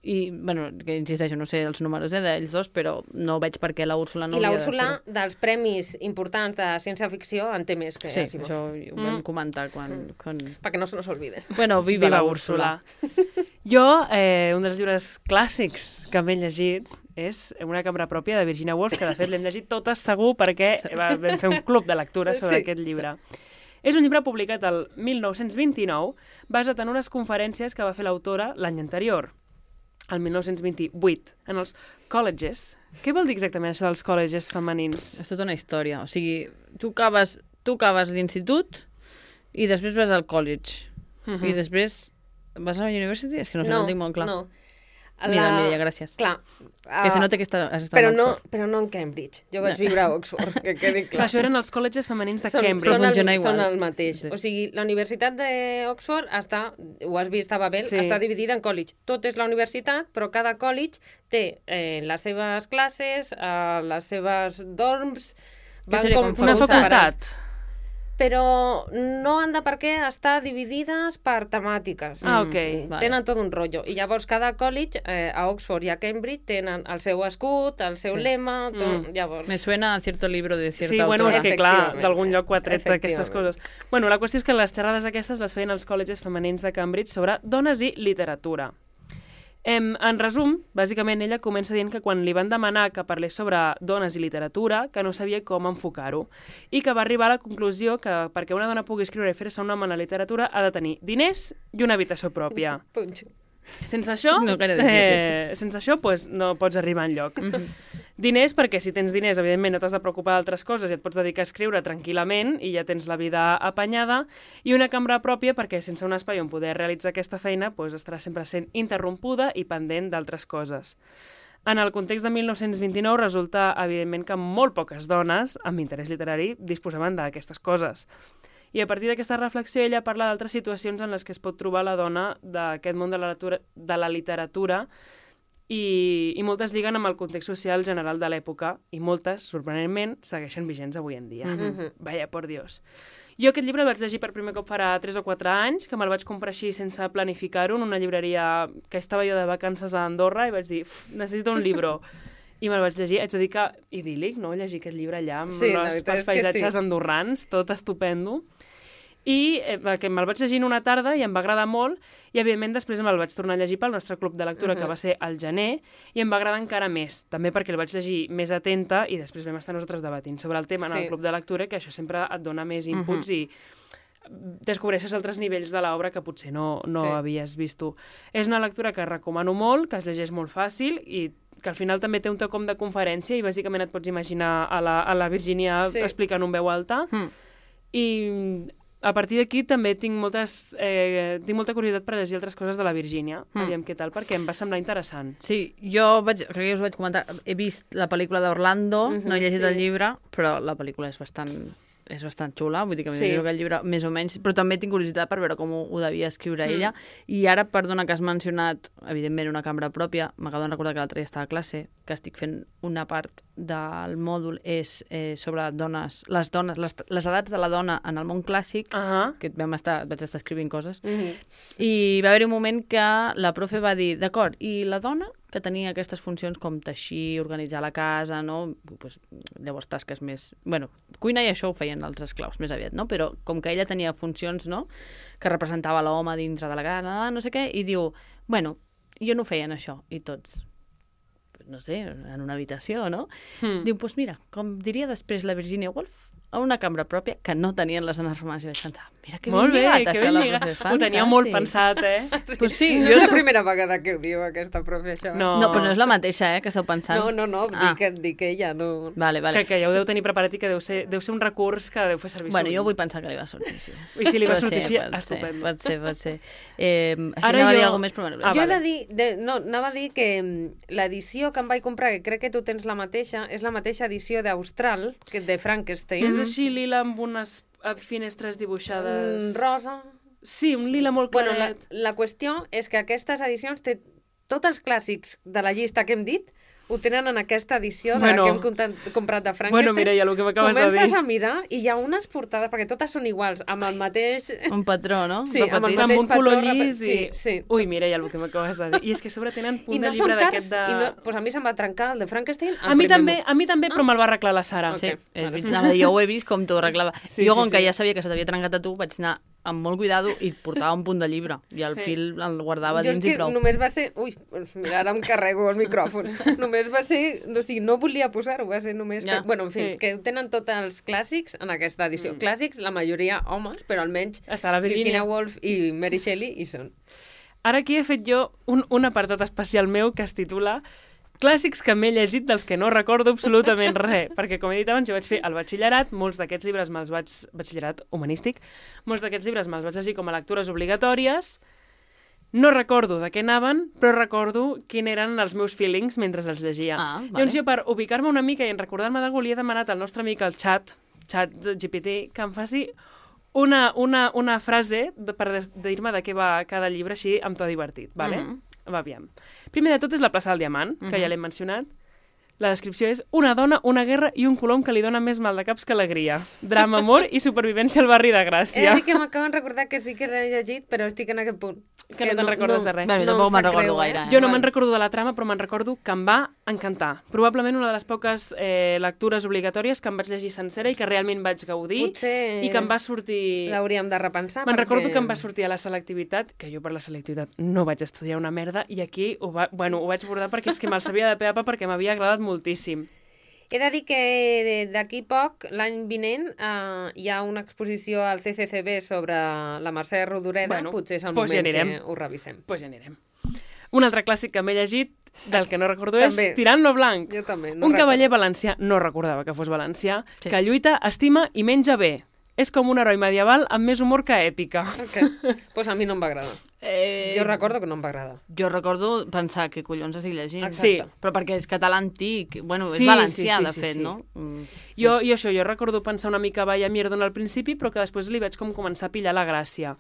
i, bueno, que insisteixo, no sé els números d'ells dos, però no veig per què la Úrsula no I la hauria de ser. Úrsula, dels premis importants de ciència-ficció, en té més que Asimov. Sí, això ho vam comentar quan... Perquè no se nos olvide. Bueno, viva la Úrsula. Jo, un dels llibres clàssics que m'he llegit és Una cambra pròpia, de Virginia Woolf, que de fet l'hem llegit totes segur perquè vam fer un club de lectura sobre aquest llibre. És un llibre publicat el 1929, basat en unes conferències que va fer l'autora l'any anterior, el 1928, en els colleges. Què vol dir exactament això dels colleges femenins? És tota una història. O sigui, tu acabes l'institut i després vas al college. I després vas a la university? És que no sé, no ho tinc molt clar. No. Mira, gràcies. Clar. Que se nota que has estat però a Oxford. Però no en Cambridge. Jo vaig viure a Oxford, que quedi clar. Clar, això eren els colleges femenins de Cambridge. Són el mateix. Sí. O sigui, la Universitat d'Oxford està, ho has vist a Babel, està dividida en college. Tot és la universitat, però cada college té les seves classes, les seves dorms... Que seria com una facultat. Però no han de per què estar dividides per temàtiques. Ok. Tenen tot un rotllo. I llavors cada college, a Oxford i a Cambridge, tenen el seu escut, el seu lema... Llavors... Me suena a cierto libro de cierta autora. Sí, bueno, és que clar, d'algun lloc ho ha tret aquestes coses. Bueno, la qüestió és que les xerrades aquestes les feien els col·legis femenins de Cambridge sobre dones i literatura. En resum, bàsicament ella comença dient que quan li van demanar que parlés sobre dones i literatura, que no sabia com enfocar-ho, i que va arribar a la conclusió que perquè una dona pugui escriure i fer-se un nom en la literatura ha de tenir diners i una habitació pròpia. Sense això, pues, no pots arribar enlloc. Diners, perquè si tens diners, evidentment, no t'has de preocupar d'altres coses i et pots dedicar a escriure tranquil·lament i ja tens la vida apanyada, i una cambra pròpia perquè sense un espai on poder realitzar aquesta feina pues, estarà sempre sent interrompuda i pendent d'altres coses. En el context de 1929 resulta, evidentment, que molt poques dones amb interès literari disposaven d'aquestes coses. I a partir d'aquesta reflexió ella parla d'altres situacions en les que es pot trobar la dona d'aquest món de la literatura i moltes lliguen amb el context social general de l'època i moltes, sorprenentment, segueixen vigents avui en dia. Vaya, por Dios. Jo aquest llibre el vaig llegir per primer cop farà 3 o 4 anys, que me'l vaig comprar així sense planificar-ho en una llibreria que estava jo de vacances a Andorra i vaig dir, necessito un llibre. I me'l vaig llegir, haig de dir que idíl·lic, no?, llegir aquest llibre allà amb els paisatges andorrans, tot estupendo. I que me'l vaig llegir en una tarda i em va agradar molt i, evidentment, després me'l vaig tornar a llegir pel nostre club de lectura, que va ser al gener, i em va agradar encara més, també perquè el vaig llegir més atenta i després vam estar nosaltres debatint sobre el tema en el club de lectura, que això sempre et dona més inputs i descobreixes altres nivells de l'obra que potser no havies vist tu. És una lectura que recomano molt, que es llegeix molt fàcil i que al final també té un toc com de conferència i bàsicament et pots imaginar a la Virginia explicant en veu alta. I a partir d'aquí també tinc molta curiositat per llegir altres coses de la Virgínia. Aviam què tal, perquè em va semblar interessant. Sí, crec que us vaig comentar, he vist la pel·lícula d'Orlando, no he llegit el llibre, però la pel·lícula és bastant xula, vull dir que m'imagino que el llibre més o menys, però també tinc curiositat per veure com ho devia escriure ella. I ara, perdona que has mencionat, evidentment, una cambra pròpia, m'acabo de recordar que l'altre dia estava a classe, que estic fent una part del mòdul és sobre les edats de la dona en el món clàssic, que vaig estar escrivint coses, i va haver-hi un moment que la profe va dir, d'acord, i la dona que tenia aquestes funcions com teixir, organitzar la casa, no? Pues, llavors tasques més... Bueno, cuina i això ho feien els esclaus més aviat, no? Però com que ella tenia funcions, no?, que representava l'home dintre de la casa, no sé què, i diu, bueno, jo no feien això, i tots, no sé, en una habitació, no? Diu, doncs mira, com diria després la Virginia Woolf, a una cambra pròpia que no tenien les dones romanes. I vaig pensar, mira que ben lligat això, la profe. Ho tenia molt pensat, Pues sí, jo és la primera vegada que ho diu aquesta profe, això. No, però no és la mateixa, que esteu pensant. No, dic que ella no... Vale. Que ja ho deu tenir preparat i que deu ser un recurs que deu fer servir. Bueno, jo vull pensar que li va sortir així. I si li va sortir així, estupendo. Pot ser. Així anava a dir alguna més, però bueno. Jo he de dir, anava a dir que l'edició que em vaig comprar, que crec que tu tens la mateixa, és la mateixa edició d'Austral, que de Frankenstein. És així lila amb unes finestres dibuixades... Rosa. Sí, un lila molt claret. La qüestió és que aquestes edicions té tots els clàssics de la llista que hem dit, ho tenen en aquesta edició que hem comprat de Frankenstein. Bueno, Mireia, el que m'acabes de dir. Comences a mirar i hi ha unes portades, perquè totes són iguals, amb el mateix... Un patró, no? Sí, amb el mateix un color llis i... Sí. Ui, Mireia, el que m'acabes de dir. I és que a sobre tenen punt de llibre d'aquest de... Doncs a mi se'm va trencar el de Frankenstein. A mi també, però me'l va arreglar la Sara. Sí, jo ho he vist com t'ho arreglava. Jo, com que ja sabia que se t'havia trencat a tu, vaig anar amb molt cuidado i portava un punt de llibre i el fil el guardava dins i prou. Només va ser... Ui, mira, ara em carrego el micròfon. Només va ser... O sigui, no volia posar-ho, va ser només... Que, bueno, en fi, que tenen tots els clàssics en aquesta edició. Clàssics, la majoria homes, però almenys està la Virginia Woolf i Mary Shelley hi són. Ara aquí he fet jo un apartat especial meu que es titula Clàssics que m'he llegit dels que no recordo absolutament res, perquè com he dit abans jo vaig fer el batxillerat, molts d'aquests llibres batxillerat humanístic, molts d'aquests llibres me'ls vaig llegir com a lectures obligatòries, no recordo de què anaven, però recordo quins eren els meus feelings mentre els llegia. Vale. Llavors jo per ubicar-me una mica i en recordar-me d'algú li he demanat al nostre amic al xat GPT, que em faci una frase per dir-me de què va cada llibre així amb to divertit, vale? Va, aviam. Primer de tot és la plaça del Diamant, que ja l'hem mencionat. La descripció és una dona, una guerra i un colom que li dona més mal de caps que alegria. Drama, amor i supervivència al barri de Gràcia. He de dir que m'acaben de recordar que sí que l'he llegit, però estic en aquest punt. Que no te'n recordes de res. Bé, tampoc me'n recordo gaire. Jo no me'n recordo de la trama, però me'n recordo que em va encantar. Probablement una de les poques lectures obligatòries que em vaig llegir sencera i que realment vaig gaudir. Potser i que em va sortir... l'hauríem de repensar. Me'n recordo que em va sortir a la selectivitat, que jo per la selectivitat no vaig estudiar una merda, i aquí ho vaig bordar perquè és que me'l sabia de pe a pa perquè m'havia agradat moltíssim. He de dir que d'aquí poc, l'any vinent, hi ha una exposició al CCCB sobre la Mercè Rodoreda. Bueno, potser és el moment que ho revisem. Doncs ja anirem. Un altre clàssic que m'he llegit, del que no recordo, és Tirant lo Blanc. Jo també. Un cavaller valencià, no recordava que fos valencià, que lluita, estima i menja bé. És com un heroi medieval amb més humor que èpica. Doncs a mi no em va agradar. Jo recordo que no em va agradar. Jo recordo pensar que collons estic llegint. Exacte. Sí, però perquè és català antic. Bueno, és valencià, de fet, no? Jo recordo pensar una mica vaya mierda al principi, però que després li vaig com començar a pillar la gràcia.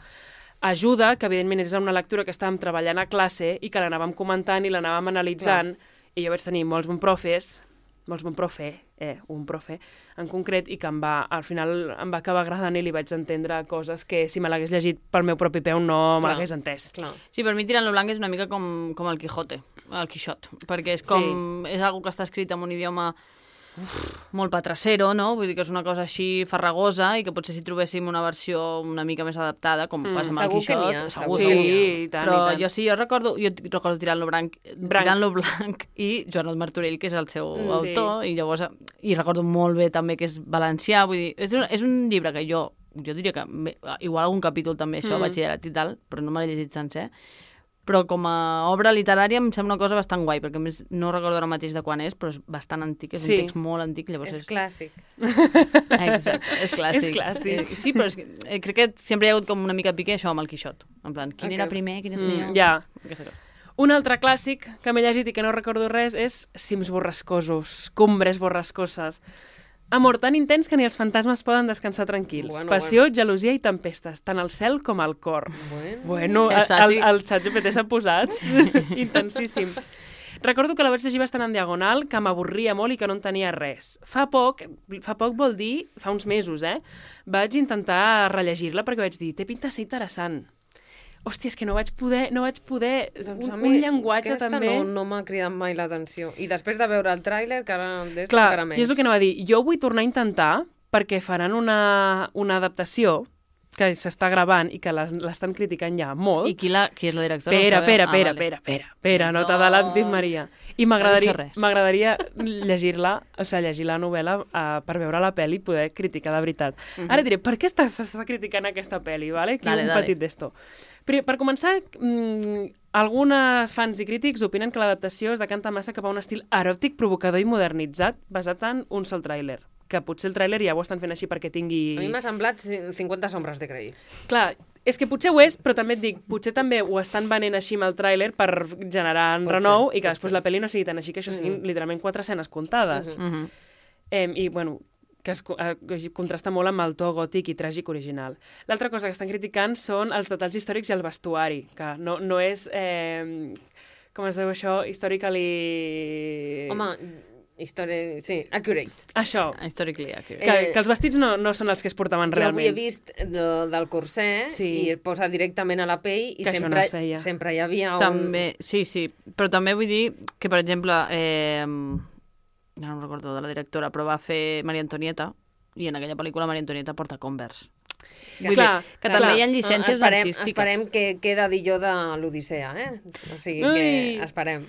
Ajuda, que evidentment és una lectura que estàvem treballant a classe i que l'anàvem comentant i l'anàvem analitzant, i jo vaig tenir molts bons profes, un profe en concret, i que al final em va acabar agradant i li vaig entendre coses que si me l'hagués llegit pel meu propi peu no me l'hagués entès. Sí, per mi Tirant lo Blanc és una mica com el Quijote, el Quixot, perquè és com... És algo que està escrit en un idioma molt patracero, no? Vull dir que és una cosa així farragosa i que potser si trobéssim una versió una mica més adaptada, com passa amb el Quixot, segur que n'hi ha. I tant, però i tant. jo recordo Tirant lo Blanc i Joanot Martorell, que és el seu autor, i llavors i recordo molt bé també que és valencià, vull dir, és un llibre que jo diria que igual algun capítol també això, batxillerat i tal, però no me l'he llegit sencer, però com a obra literària em sembla una cosa bastant guai, perquè a més no recordo ara mateix de quan és, però és bastant antic, és un text molt antic. Llavors És clàssic. Exacte, és clàssic. És clàssic. Sí, però crec que sempre hi ha hagut com una mica pique això amb el Quixot. En plan, quin era primer, quin és millor? Ja. Aquesta cosa. Un altre clàssic que m'he llegit i que no recordo res és Cims borrascosos, Cumbres borrascoses. Amor tan intens que ni els fantasmes poden descansar tranquils. Passió, gelosia i tempestes, tant al cel com al cor. Bueno, el ChatGPT s'ha posat intensíssim. Recordo que la vaig llegir bastant en diagonal, que m'avorria molt i que no en tenia res. Fa poc vol dir, fa uns mesos, vaig intentar rellegir-la perquè vaig dir, té pinta de ser interessant. Hòstia, és que no vaig poder un llenguatge també... No m'ha cridat mai l'atenció. I després de veure el tràiler, que ara d'és clar, encara menys. I és el que anava a dir. Jo vull tornar a intentar, perquè faran una adaptació que s'està gravant i que l'estan criticant ja molt. I qui és la directora? Pera, no t'adalantis, Maria. I m'agradaria llegir-la, o sigui, llegir la novel·la per veure la pel·li i poder criticar de veritat. Ara diré, per què s'està criticant aquesta pel·li? Vale? Aquí un petit d'esto. Per començar, algunes fans i crítics opinen que l'adaptació es decanta massa cap a un estil eròtic, provocador i modernitzat basat en un sol tràiler. Que potser el tràiler ja ho estan fent així perquè tingui... A mi m'ha semblat 50 sombres de Grey. Clar, és que potser ho és, però també et dic, potser també ho estan venent així amb el tràiler per generar renou i que després la pel·li no sigui tan així, que això siguin literalment 4 escenes comptades. I, bueno, que contrasta molt amb el to gòtic i tràgic original. L'altra cosa que estan criticant són els detalls històrics i el vestuari, que no és... com es diu això? Historically... Home... sí, accurate. Això. Historically accurate. Que els vestits no són els que es portaven realment. Jo avui he vist del corset i es posa directament a la pell i sempre hi havia un... També, sí, però també vull dir que, per exemple, ja no recordo de la directora, però va fer Maria Antonieta i en aquella pel·lícula Maria Antonieta porta Converse. Vull dir que també hi ha llicències artístiques. Esperem que queda d'illó de l'Odissea, O sigui que esperem.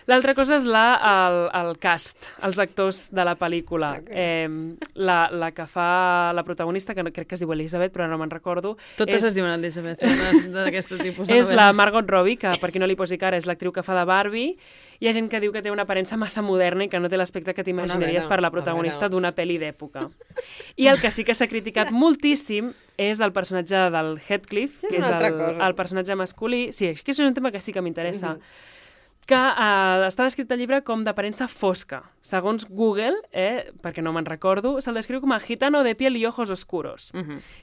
L'altra cosa és el cast, els actors de la pel·lícula. La que fa la protagonista, que crec que es diu Elizabeth, però no me'n recordo. Totes es diuen Elizabeth, d'aquest tipus de és la Margot Robbie, que per qui no li posi cara és l'actriu que fa de Barbie. Hi ha gent que diu que té una aparença massa moderna i que no té l'aspecte que t'imaginaries per la protagonista d'una pel·li d'època. I el que sí que s'ha criticat moltíssim és el personatge del Heathcliff, que és el personatge masculí. Sí, és que és un tema que sí que m'interessa. Que està descrit al llibre com d'aparença fosca. Segons Google, perquè no me'n recordo, se'l descriu com a gitano de piel i ojos oscuros.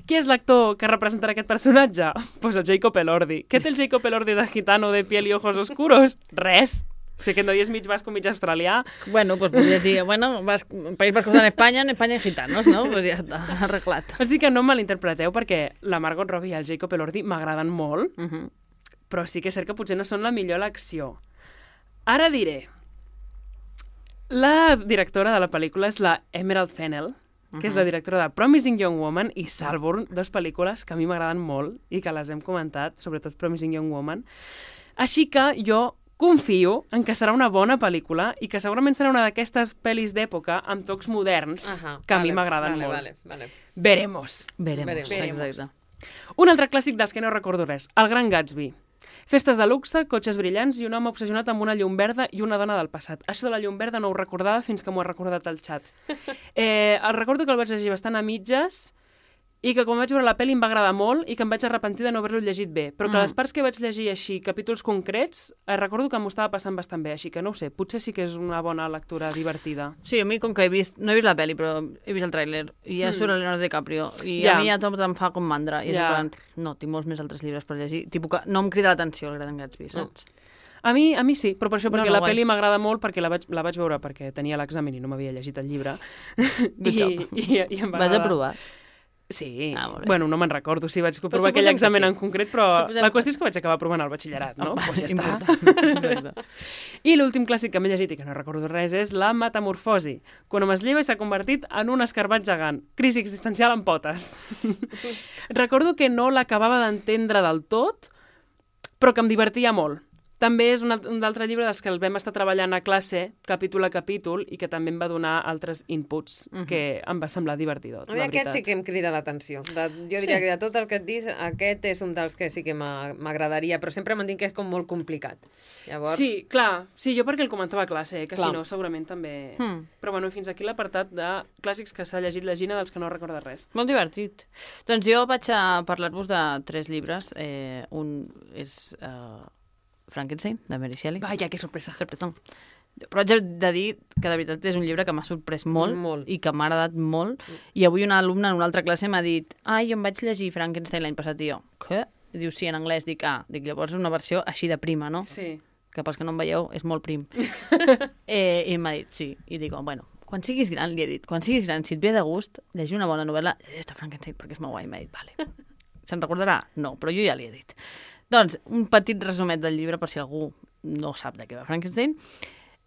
Qui és l'actor que representarà aquest personatge? Pues el Jacob Elordi. Què té el Jacob Elordi de gitano de piel i ojos oscuros? Res. Si aquest no és mig basco, mig australià. Bueno, pues podries dir, País Vasco en Espanya hay gitanos, no? Pues ja està, arreglat. És dir que no em malinterpreteu perquè la Margot Robbie i el Jacob Elordi m'agraden molt, però sí que és cert que potser no són la millor elecció. Ara diré, la directora de la pel·lícula és la Emerald Fennell, que és la directora de Promising Young Woman i Saltburn, 2 pel·lícules que a mi m'agraden molt i que les hem comentat, sobretot Promising Young Woman. Així que jo confio en que serà una bona pel·lícula i que segurament serà una d'aquestes pel·lis d'època amb tocs moderns que a mi m'agraden molt. Veremos. Exacte. Un altre clàssic dels que no recordo res, El Gran Gatsby. Festes de luxe, cotxes brillants i un home obsessionat amb una llum verda i una dona del passat. Això de la llum verda no ho recordava fins que m'ho ha recordat el xat. El recordo que el vaig llegir bastant a mitges i que quan vaig veure la pel·li em va agradar molt i que em vaig arrepentir de no haver-lo llegit bé. Però que les parts que vaig llegir així, capítols concrets, recordo que m'ho estava passant bastant bé, així que no ho sé, potser sí que és una bona lectura divertida. Sí, a mi com que no he vist la pel·li, però he vist el tràiler, i ja surt el Leonardo DiCaprio, i a mi ja tot em fa com mandra, i és en plan, no, tinc molts més altres llibres per llegir, tipus que no em crida l'atenció el Gran Gatsby, saps? A mi sí, però per això, perquè la pel·li m'agrada molt, perquè la vaig veure perquè tenia l'examen i no m'havia llegit el llibre. Good job. Vas aprovar? Sí, bueno, no me'n recordo si vaig provar aquell examen en concret, però la qüestió és que vaig acabar provant el batxillerat, no? Pues ja està. I l'últim clàssic que m'he llegit i que no recordo res és La metamorfosi, quan hom es lleva i s'ha convertit en un escarbat gegant. Crisi existencial amb potes. Recordo que no l'acabava d'entendre del tot, però que em divertia molt. També és un altre llibre dels que el vam estar treballant a classe, capítol a capítol, i que també em va donar altres inputs que em va semblar divertidor, A mi aquest sí que em crida l'atenció. Jo diria que de tot el que et dius, aquest és un dels que sí que m'agradaria, però sempre m'han dit que és com molt complicat. Llavors... Sí, clar. Sí, jo perquè el comentava a classe, que si no, segurament també... Però bueno, fins aquí l'apartat de clàssics que s'ha llegit la Gina dels que no recorda res. Molt divertit. Doncs jo vaig a parlar-vos de 3 llibres. Un és... Frankenstein, de Mary Shelley. Vaja, que sorpresa. Sorpresa. Però haig de dir que de veritat és un llibre que m'ha sorprès molt i que m'ha agradat molt. I avui una alumna en una altra classe m'ha dit jo em vaig llegir Frankenstein l'any passat i jo, què? I diu, sí, en anglès. Dic, llavors és una versió així de prima, no? Sí. Que pels que no em veieu és molt prim. I m'ha dit, sí. I dic, bueno, quan siguis gran, li he dit, quan siguis gran, si et ve de gust, llegir una bona novel·la, llegeix Frankenstein perquè és molt guai. M'ha dit, vale. Se'n recordarà? No, però jo ja li he dit. Doncs, un petit resumet del llibre, per si algú no sap de què va Frankenstein.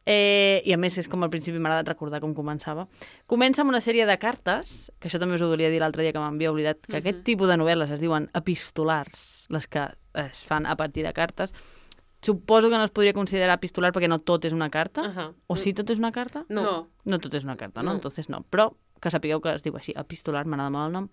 I a més, és com al principi m'ha agradat recordar com començava. Comença amb una sèrie de cartes, que això també us ho volia dir l'altre dia que m'havia oblidat, que aquest tipus de novel·les es diuen epistolars, les que es fan a partir de cartes. Suposo que no es podria considerar epistolar perquè no tot és una carta. O sí, tot és una carta? No. No tot és una carta, no? Entonces no. Però que sapigueu que es diu així, epistolar, m'agrada molt el nom.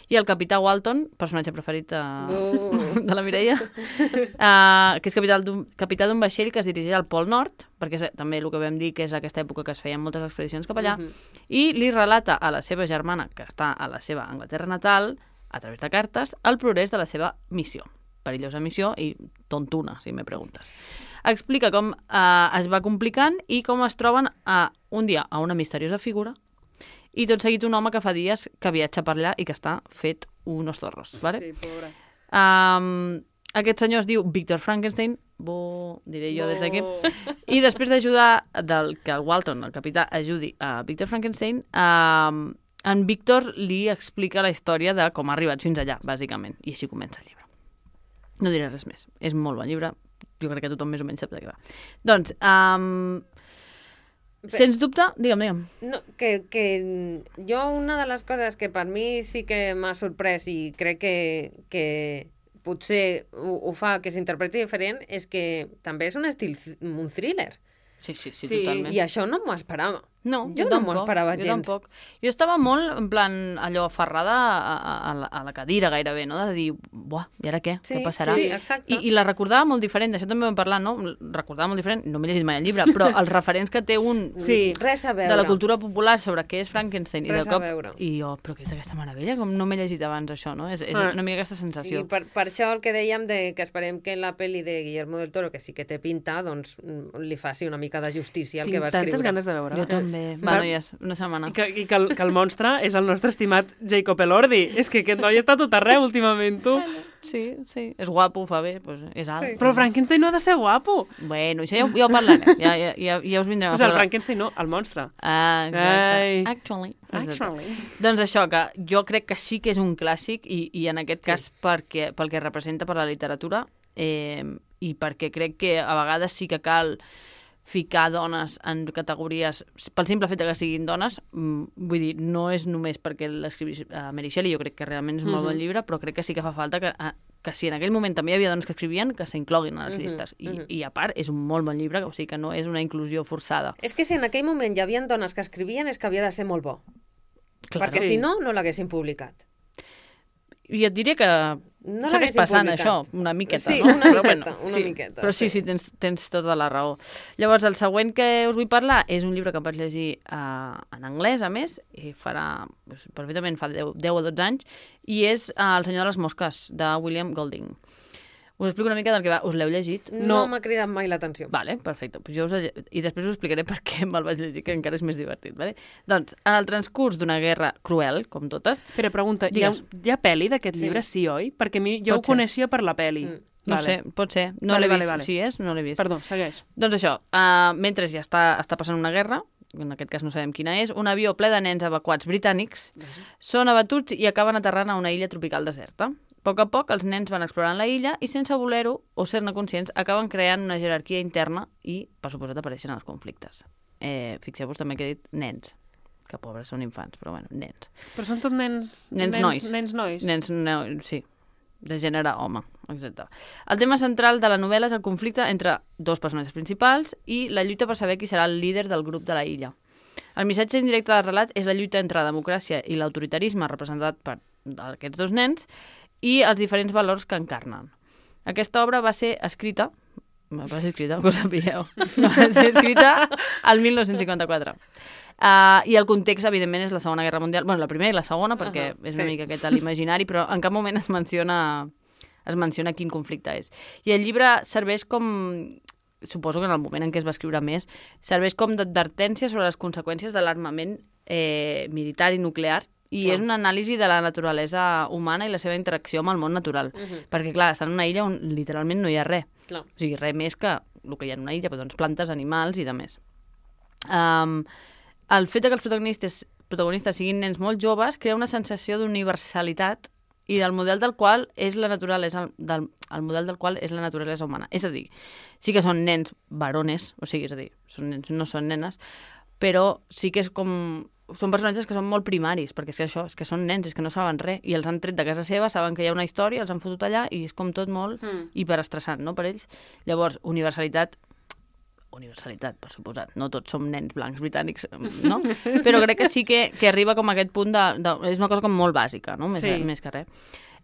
I el capità Walton, personatge preferit de la Mireia, que és capità d'un vaixell que es dirigeix al Pol Nord, perquè també el que vam dir que és aquesta època que es feien moltes expedicions cap allà, i li relata a la seva germana, que està a la seva Anglaterra natal, a través de cartes, el progrés de la seva missió. Perillosa missió i tontuna, si me preguntes. Explica com es va complicant i com es troben un dia a una misteriosa figura i tot seguit un home que fa dies que viatja per allà i que està fet unos zorros. ¿Vale? Sí, pobre. Aquest senyor es diu Victor Frankenstein, diré jo des d'aquí, i després d'ajudar que el Walton, el capità, ajudi a Victor Frankenstein, en Victor li explica la història de com ha arribat fins allà, bàsicament, i així comença el llibre. No diré res més. És molt bon llibre. Jo crec que tothom més o menys sap de què va. Doncs, sens dubte, digue'm. No, que jo una de les coses que per mi sí que m'ha sorprès i crec que potser ho fa que s'interpreti diferent és que també és un estil, un thriller. Sí, totalment. I això no m'ho esperava. No, jo no m'ho esperava gens. Jo tampoc. Jo estava molt, en plan, allò, aferrada a la cadira gairebé, no? De dir, buah, i ara què? Què passarà? Sí, exacte. I la recordava molt diferent, d'això també ho vam parlar, no? Recordava molt diferent, no m'he llegit mai el llibre, però els referents que té un... Sí, res a veure. De la cultura popular sobre què és Frankenstein. Res a veure. I jo, però què és aquesta meravella? Com no m'he llegit abans això, no? És una mica aquesta sensació. Sí, per això el que dèiem que esperem que la pel·li de Guillermo del Toro, que sí que té pinta, doncs li faci una mica de justícia al que va escriure. Tinc tantes ganes de veure. Jo també. Va, noies, una setmana. I que el monstre és el nostre estimat Jacob Elordi. És que aquest noi està tot arreu últimament, tu. Sí. És guapo, fa bé, doncs és alt. Sí. Però Frankenstein no ha de ser guapo. Bueno, això ja ho parlarem. Ja us vindrem a parlar. El Frankenstein no, el monstre. Exacte. Actually. Doncs això, que jo crec que sí que és un clàssic i en aquest cas pel que representa per la literatura i perquè crec que a vegades sí que cal ficar dones en categories, pel simple fet que siguin dones, vull dir, no és només perquè l'escrivís Mary Shelley, jo crec que realment és un molt bon llibre, però crec que sí que fa falta que si en aquell moment també hi havia dones que escrivien, que s'incloguin a les llistes. I a part, és un molt bon llibre, o sigui que no és una inclusió forçada. És que si en aquell moment hi havia dones que escrivien és que havia de ser molt bo. Clar, perquè si no, no l'haguessin publicat. I et diré que segueix passant això, una miqueta, sí, no? una miqueta. Però sí, tens tota la raó. Llavors, el següent que us vull parlar és un llibre que em vaig llegir en anglès, a més, i perfectament fa 10 o 12 anys, i és El senyor de les mosques, de William Golding. Us explico una mica del que va. Us l'heu llegit? No m'ha cridat mai l'atenció. Vale, perfecte. I després us explicaré per què me'l vaig llegir, que encara és més divertit. Vale? Doncs, en el transcurs d'una guerra cruel, com totes... Però pregunta, hi ha pel·li d'aquest llibre, sí, oi? Perquè jo ho coneixia per la pel·li. No sé, pot ser. No l'he vist. Si és, no l'he vist. Perdó, segueix. Doncs això, mentre ja està passant una guerra, en aquest cas no sabem quina és, un avió ple de nens evacuats britànics són abatuts i acaben aterrant a una illa tropical deserta. A poc a poc, els nens van explorant la illa i, sense voler-ho o ser-ne conscients, acaben creant una jerarquia interna i, per suposat, apareixen els conflictes. Fixeu-vos també que he dit nens, que pobres són infants, però bueno, nens. Però són tots nens... Nens nois. Nens nois? Nens nois, sí. de gènere home, etc. El tema central de la novel·la és el conflicte entre dos personatges principals i la lluita per saber qui serà el líder del grup de la illa. El missatge indirecte del relat és la lluita entre la democràcia i l'autoritarisme representat per aquests dos nens i els diferents valors que encarnen. Aquesta obra va ser escrita, que ho sapigueu, va ser escrita el 1954. I el context, evidentment, és la Segona Guerra Mundial. Bueno, la primera i la segona, perquè és una mica aquest l'imaginari, però en cap moment es menciona quin conflicte és. I el llibre serveix com, suposo que en el moment en què es va escriure més, serveix com d'advertència sobre les conseqüències de l'armament militar i nuclear, i és una anàlisi de la naturalesa humana i la seva interacció amb el món natural. Perquè, clar, està en una illa on literalment no hi ha res. O sigui, res més que el que hi ha en una illa, doncs plantes, animals i de més. El fet que els protagonistes siguin nens molt joves crea una sensació d'universalitat i del model del qual és la naturalesa el model del qual és la naturalesa humana. És a dir, sí que són nens varones, o sigui, és a dir, són nens, no són nenes, però sí que és com... Són personatges que són molt primaris, perquè és que això, és que són nens, és que no saben res, i els han tret de casa seva, saben que hi ha una història, els han fotut allà, i és com tot molt hiperestressant, no?, per ells. Llavors, universalitat, per suposat, no tots som nens blancs britànics, no? Però crec que sí que arriba com a aquest punt és una cosa com molt bàsica, no?, més que res.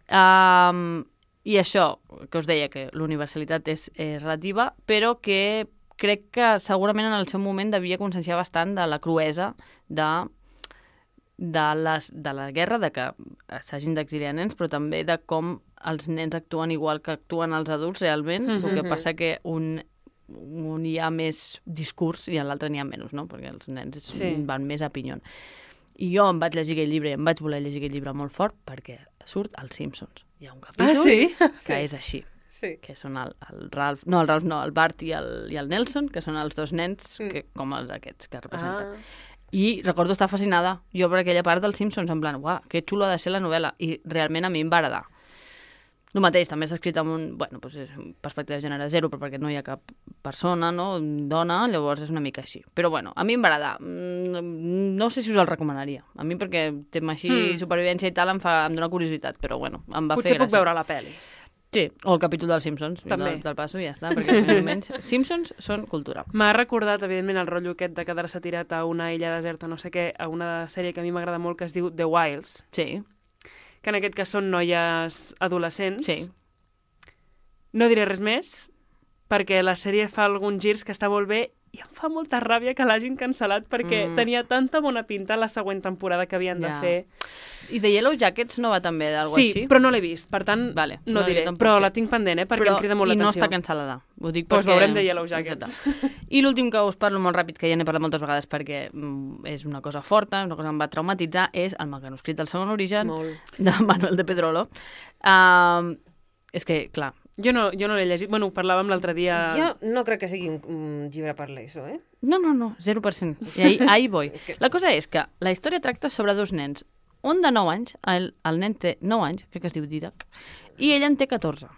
I això, que us deia, que l'universalitat és relativa, però que crec que segurament en el seu moment devia conscienciar bastant de la cruesa de la guerra, de que s'hagin d'exiliar nens, però també de com els nens actuen igual que actuen els adults realment, el que passa que un hi ha més discurs i en l'altre n'hi ha menys, no? Perquè els nens van més a pinyon. I jo em vaig llegir aquell llibre, em vaig voler llegir aquell llibre molt fort perquè surt als Simpsons. Hi ha un capítol que és així. Sí. Que són el Ralph, el Bart i el Nelson, que són els dos nens com els aquests que representen. I recordo estar fascinada jo per aquella part dels Simpsons, en plan, uah, que xulo ha de ser la novel·la. I realment a mi em va agradar. El mateix, també està escrit amb perspectiva de gènere zero, però perquè no hi ha cap persona, no? Dona, llavors és una mica així. Però bueno, a mi em va agradar. No sé si us el recomanaria. A mi perquè tema així, supervivència i tal, em dona curiositat, però bueno, em va fer gràcia. Potser puc veure la pel·li. Sí, o el capítol dels Simpsons. També. Del passo i ja està, perquè més o menys Simpsons són cultura. M'ha recordat, evidentment, el rotllo aquest de quedar-se tirat a una illa deserta, no sé què, a una sèrie que a mi m'agrada molt que es diu The Wilds. Sí. Que en aquest cas són noies adolescents. Sí. No diré res més, perquè la sèrie fa alguns girs que està molt bé i em fa molta ràbia que l'hagin cancel·lat perquè tenia tanta bona pinta la següent temporada que havien de fer. I The Yellow Jackets no va també d'algú així? Sí, però no l'he vist, per tant no diré. Però la tinc pendent, perquè em crida molt l'atenció. I no està cancel·lada. Ho dic perquè... Doncs veurem The Yellow Jackets. I l'últim que us parlo molt ràpid, que ja n'he parlat moltes vegades perquè és una cosa forta, una cosa que em va traumatitzar, és el manuscrit del segon origen de Manuel de Pedrolo. És que, clar... Jo no l'he llegit. Bueno, parlàvem l'altre dia... Jo no crec que sigui un llibre per l'ESO, eh? No, 0%. I ahí voy. La cosa és que la història tracta sobre dos nens. Un de 9 anys, el nen té 9 anys, crec que es diu Didac, i ella en té 14.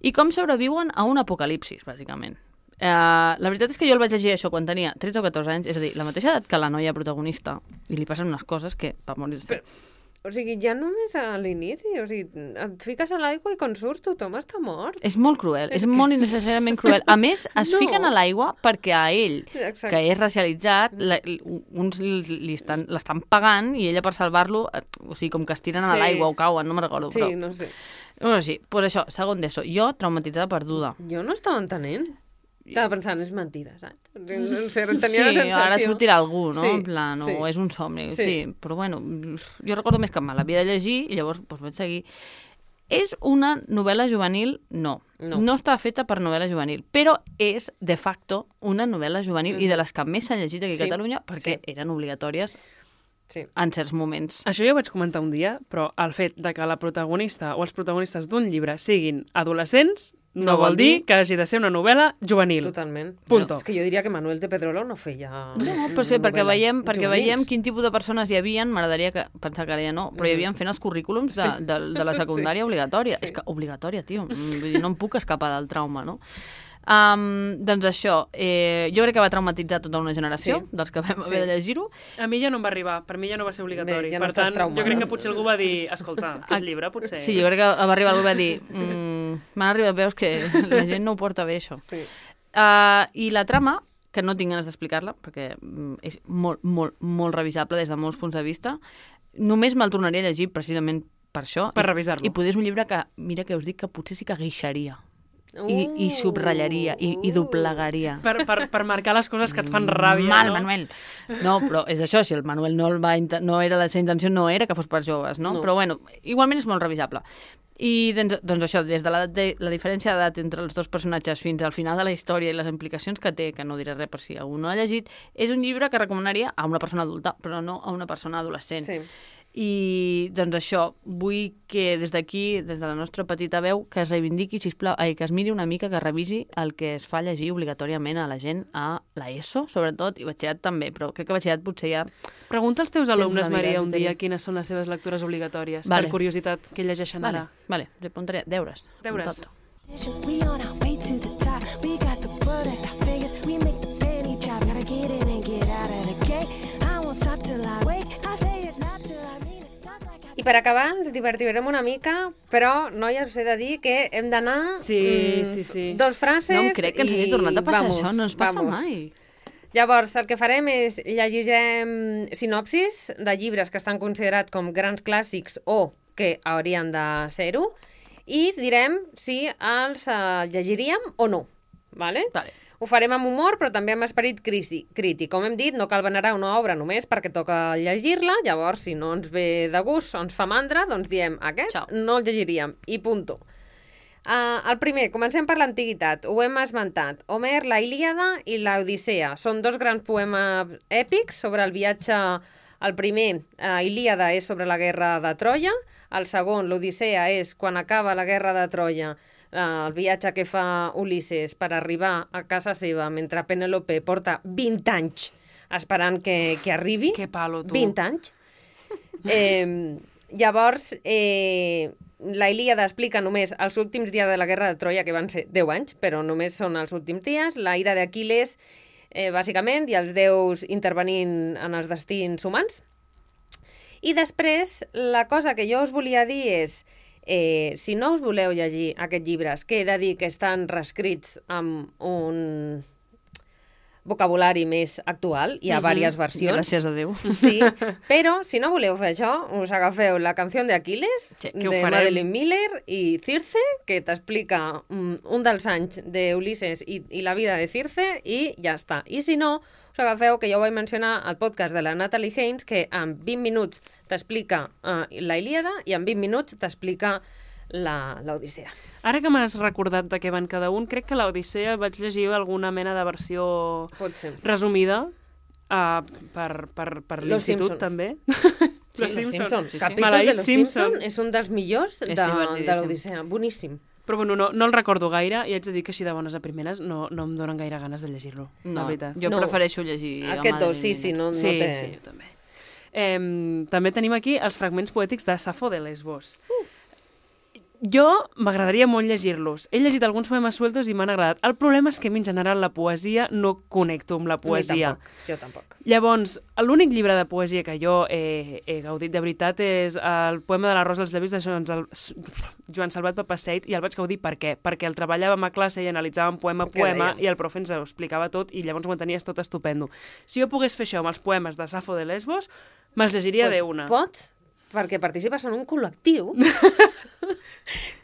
I com sobreviuen a un apocalipsis, bàsicament. La veritat és que jo el vaig llegir això quan tenia 13 o 14 anys, és a dir, la mateixa edat que la noia protagonista, i li passen unes coses que va morir-se. O sigui, ja només a l'inici, o sigui, et fiques a l'aigua i quan surts tothom està mort. És molt cruel, és molt innecessàriament cruel. A més, es fiquen a l'aigua perquè a ell, que és racialitzat, uns l'estan pagant i ella per salvar-lo, o sigui, com que es tiren a l'aigua o cauen, no me'n recordo. Sí, no sé. Bueno, sí, doncs això, segon d'ESO. Jo, traumatitzada perduda. Jo no estava entenent. Estava pensant, és mentida, saps? No sé, tenia la sensació... Sí, ara sortirà algú, no? En plan, o és un somni. Sí, però bueno, jo recordo més que mal. L'havia de llegir i llavors vaig seguir. És una novel·la juvenil? No. No està feta per novel·la juvenil, però és, de facto, una novel·la juvenil i de les que més s'han llegit aquí a Catalunya perquè eren obligatòries en certs moments. Això ja ho vaig comentar un dia, però el fet de que la protagonista o els protagonistes d'un llibre siguin adolescents no vol dir que hagi de ser una novel·la juvenil. Totalment. Punto. És que jo diria que Manuel de Pedrolo no feia... No, però sí, perquè veiem quin tipus de persones hi havia, m'agradaria pensar que ara ja no, però hi havia fent els currículums de la secundària obligatòria. És que obligatòria, tio. Vull dir, no em puc escapar del trauma, no? Doncs això, jo crec que va traumatitzar tota una generació dels que vam haver de llegir-ho. A mi ja no em va arribar, per mi ja no va ser obligatori. Bé, ja no per tant, traumada. jo crec que potser algú va dir, escolta, aquest llibre potser... Sí, jo crec que va arribar algú i va dir m'han arribat veus que la gent no ho porta bé, això. Sí. I la trama, que no tinc ganes d'explicar-la, perquè és molt, molt, molt revisable des de molts punts de vista, només me'l tornaria a llegir precisament per això. Per revisar-lo. I poder és un llibre que, mira que us dic que potser sí que guixaria. I subratllaria, i doblegaria. Per marcar les coses que et fan ràbia, Mal, no? Manuel. No, però és això, si el Manuel no era la seva intenció, no era que fos per joves, no? Però bueno, igualment és molt revisable. I doncs això, des de la diferència d'edat entre els dos personatges fins al final de la història i les implicacions que té, que no diré res per si algú no l'ha llegit, és un llibre que recomanaria a una persona adulta, però no a una persona adolescent. Sí. I doncs això, vull que des d'aquí, des de la nostra petita veu, que es reivindiqui, sisplau, que es miri una mica, que revisi el que es fa llegir obligatòriament a la gent a l'ESO, sobretot, i batxillerat també, però crec que batxillerat potser ja... Pregunta als teus alumnes, una mica Maria, de un dia tenir. quines són les seves lectures obligatòries, Vale. per curiositat, què llegeixen ara. Vale, li apuntaré deures. Deures. Tot. We on our way to the top. We got the butt at our fingers. We make the penny drop. Gotta get in and get out of the gate. I won't stop till I wake. I say it not till I mean it. Talk like I... I per acabar, ens divertirem una mica, però no, ja us he de dir que hem d'anar Sí. dos frases No em crec que ens hagi tornat a passar vamos, això, no ens passa vamos. mai. Llavors, el que farem és llegirem sinopsis de llibres que estan considerats com grans clàssics o que haurien de ser-ho i direm si els llegiríem o no. Vale? Vale. Ho farem amb humor, però també amb esperit crític. Com hem dit, no cal venerar una obra només perquè toca llegir-la, llavors, si no ens ve de gust o ens fa mandra, doncs diem, aquest Ciao. no el llegiríem, i punto. El primer, comencem per l'antiguitat, ho hem esmentat. Homer, la Ilíada i la Odissea. Són dos grans poemes èpics sobre el viatge. El primer, Ilíada, és sobre la guerra de Troia. El segon, l'Odissea, és quan acaba la guerra de Troia, el viatge que fa Ulisses per arribar a casa seva mentre Penélope porta 20 anys esperant que arribi. Que palo, tu. 20 anys. Llavors, la Ilíada explica només els últims dies de la guerra de Troia, que van ser 10 anys, però només són els últims dies. La ira d'Aquiles, bàsicament, i els déus intervenint en els destins humans. I després, la cosa que jo us volia dir és, si no us voleu llegir aquests llibres, que he de dir que estan reescrits amb un vocabulari més actual, hi ha diverses versions. Gràcies a Déu. Sí, però si no voleu fer això, us agafeu la canció d'Aquiles, Sí, que ho de farem. Madeline Miller, i Circe, que t'explica un dels anys d'Ulisses i la vida de Circe, i ja està. I si no, us agafeu, que ja ho vaig mencionar al podcast de la Natalie Haynes, que en 20 minuts t'explica la Ilíada i en 20 minuts t'explica l'Odissea. Ara que m'has recordat de què van cada un, crec que l'Odissea vaig llegir alguna mena de versió Pot ser. resumida per Los l'institut, Simpson. també. Los Simpson. sí. Capítols Maleït de Los Simpson és un dels millors de divertidíssim. l'Odissea. Boníssim. Però bueno, no el recordo gaire i haig de dir que així de bones a primeres no em donen gaire ganes de llegir-lo, la No, veritat. jo No. prefereixo llegir... Aquest dos, sí, no Sí, té... sí, jo també. També tenim aquí els fragments poètics de Safo de Lesbos. Jo m'agradaria molt llegir-los. He llegit alguns poemes sueltos i m'han agradat. El problema és que a mi, en general, la poesia no connecto amb la poesia. Jo tampoc. Llavors, l'únic llibre de poesia que jo he gaudit de veritat és el poema de la Rosa dels llavis de Joan Salvat Papaseit, i el vaig gaudir per què? Perquè el treballàvem a classe i analitzàvem poema a Què poema dèiem? i el profe ens ho explicava tot i llavors ho entenies tot estupendo. Si jo pogués fer això amb els poemes de Safo de Lesbos, me'ls llegiria d'una. Pots, perquè participes en un col·lectiu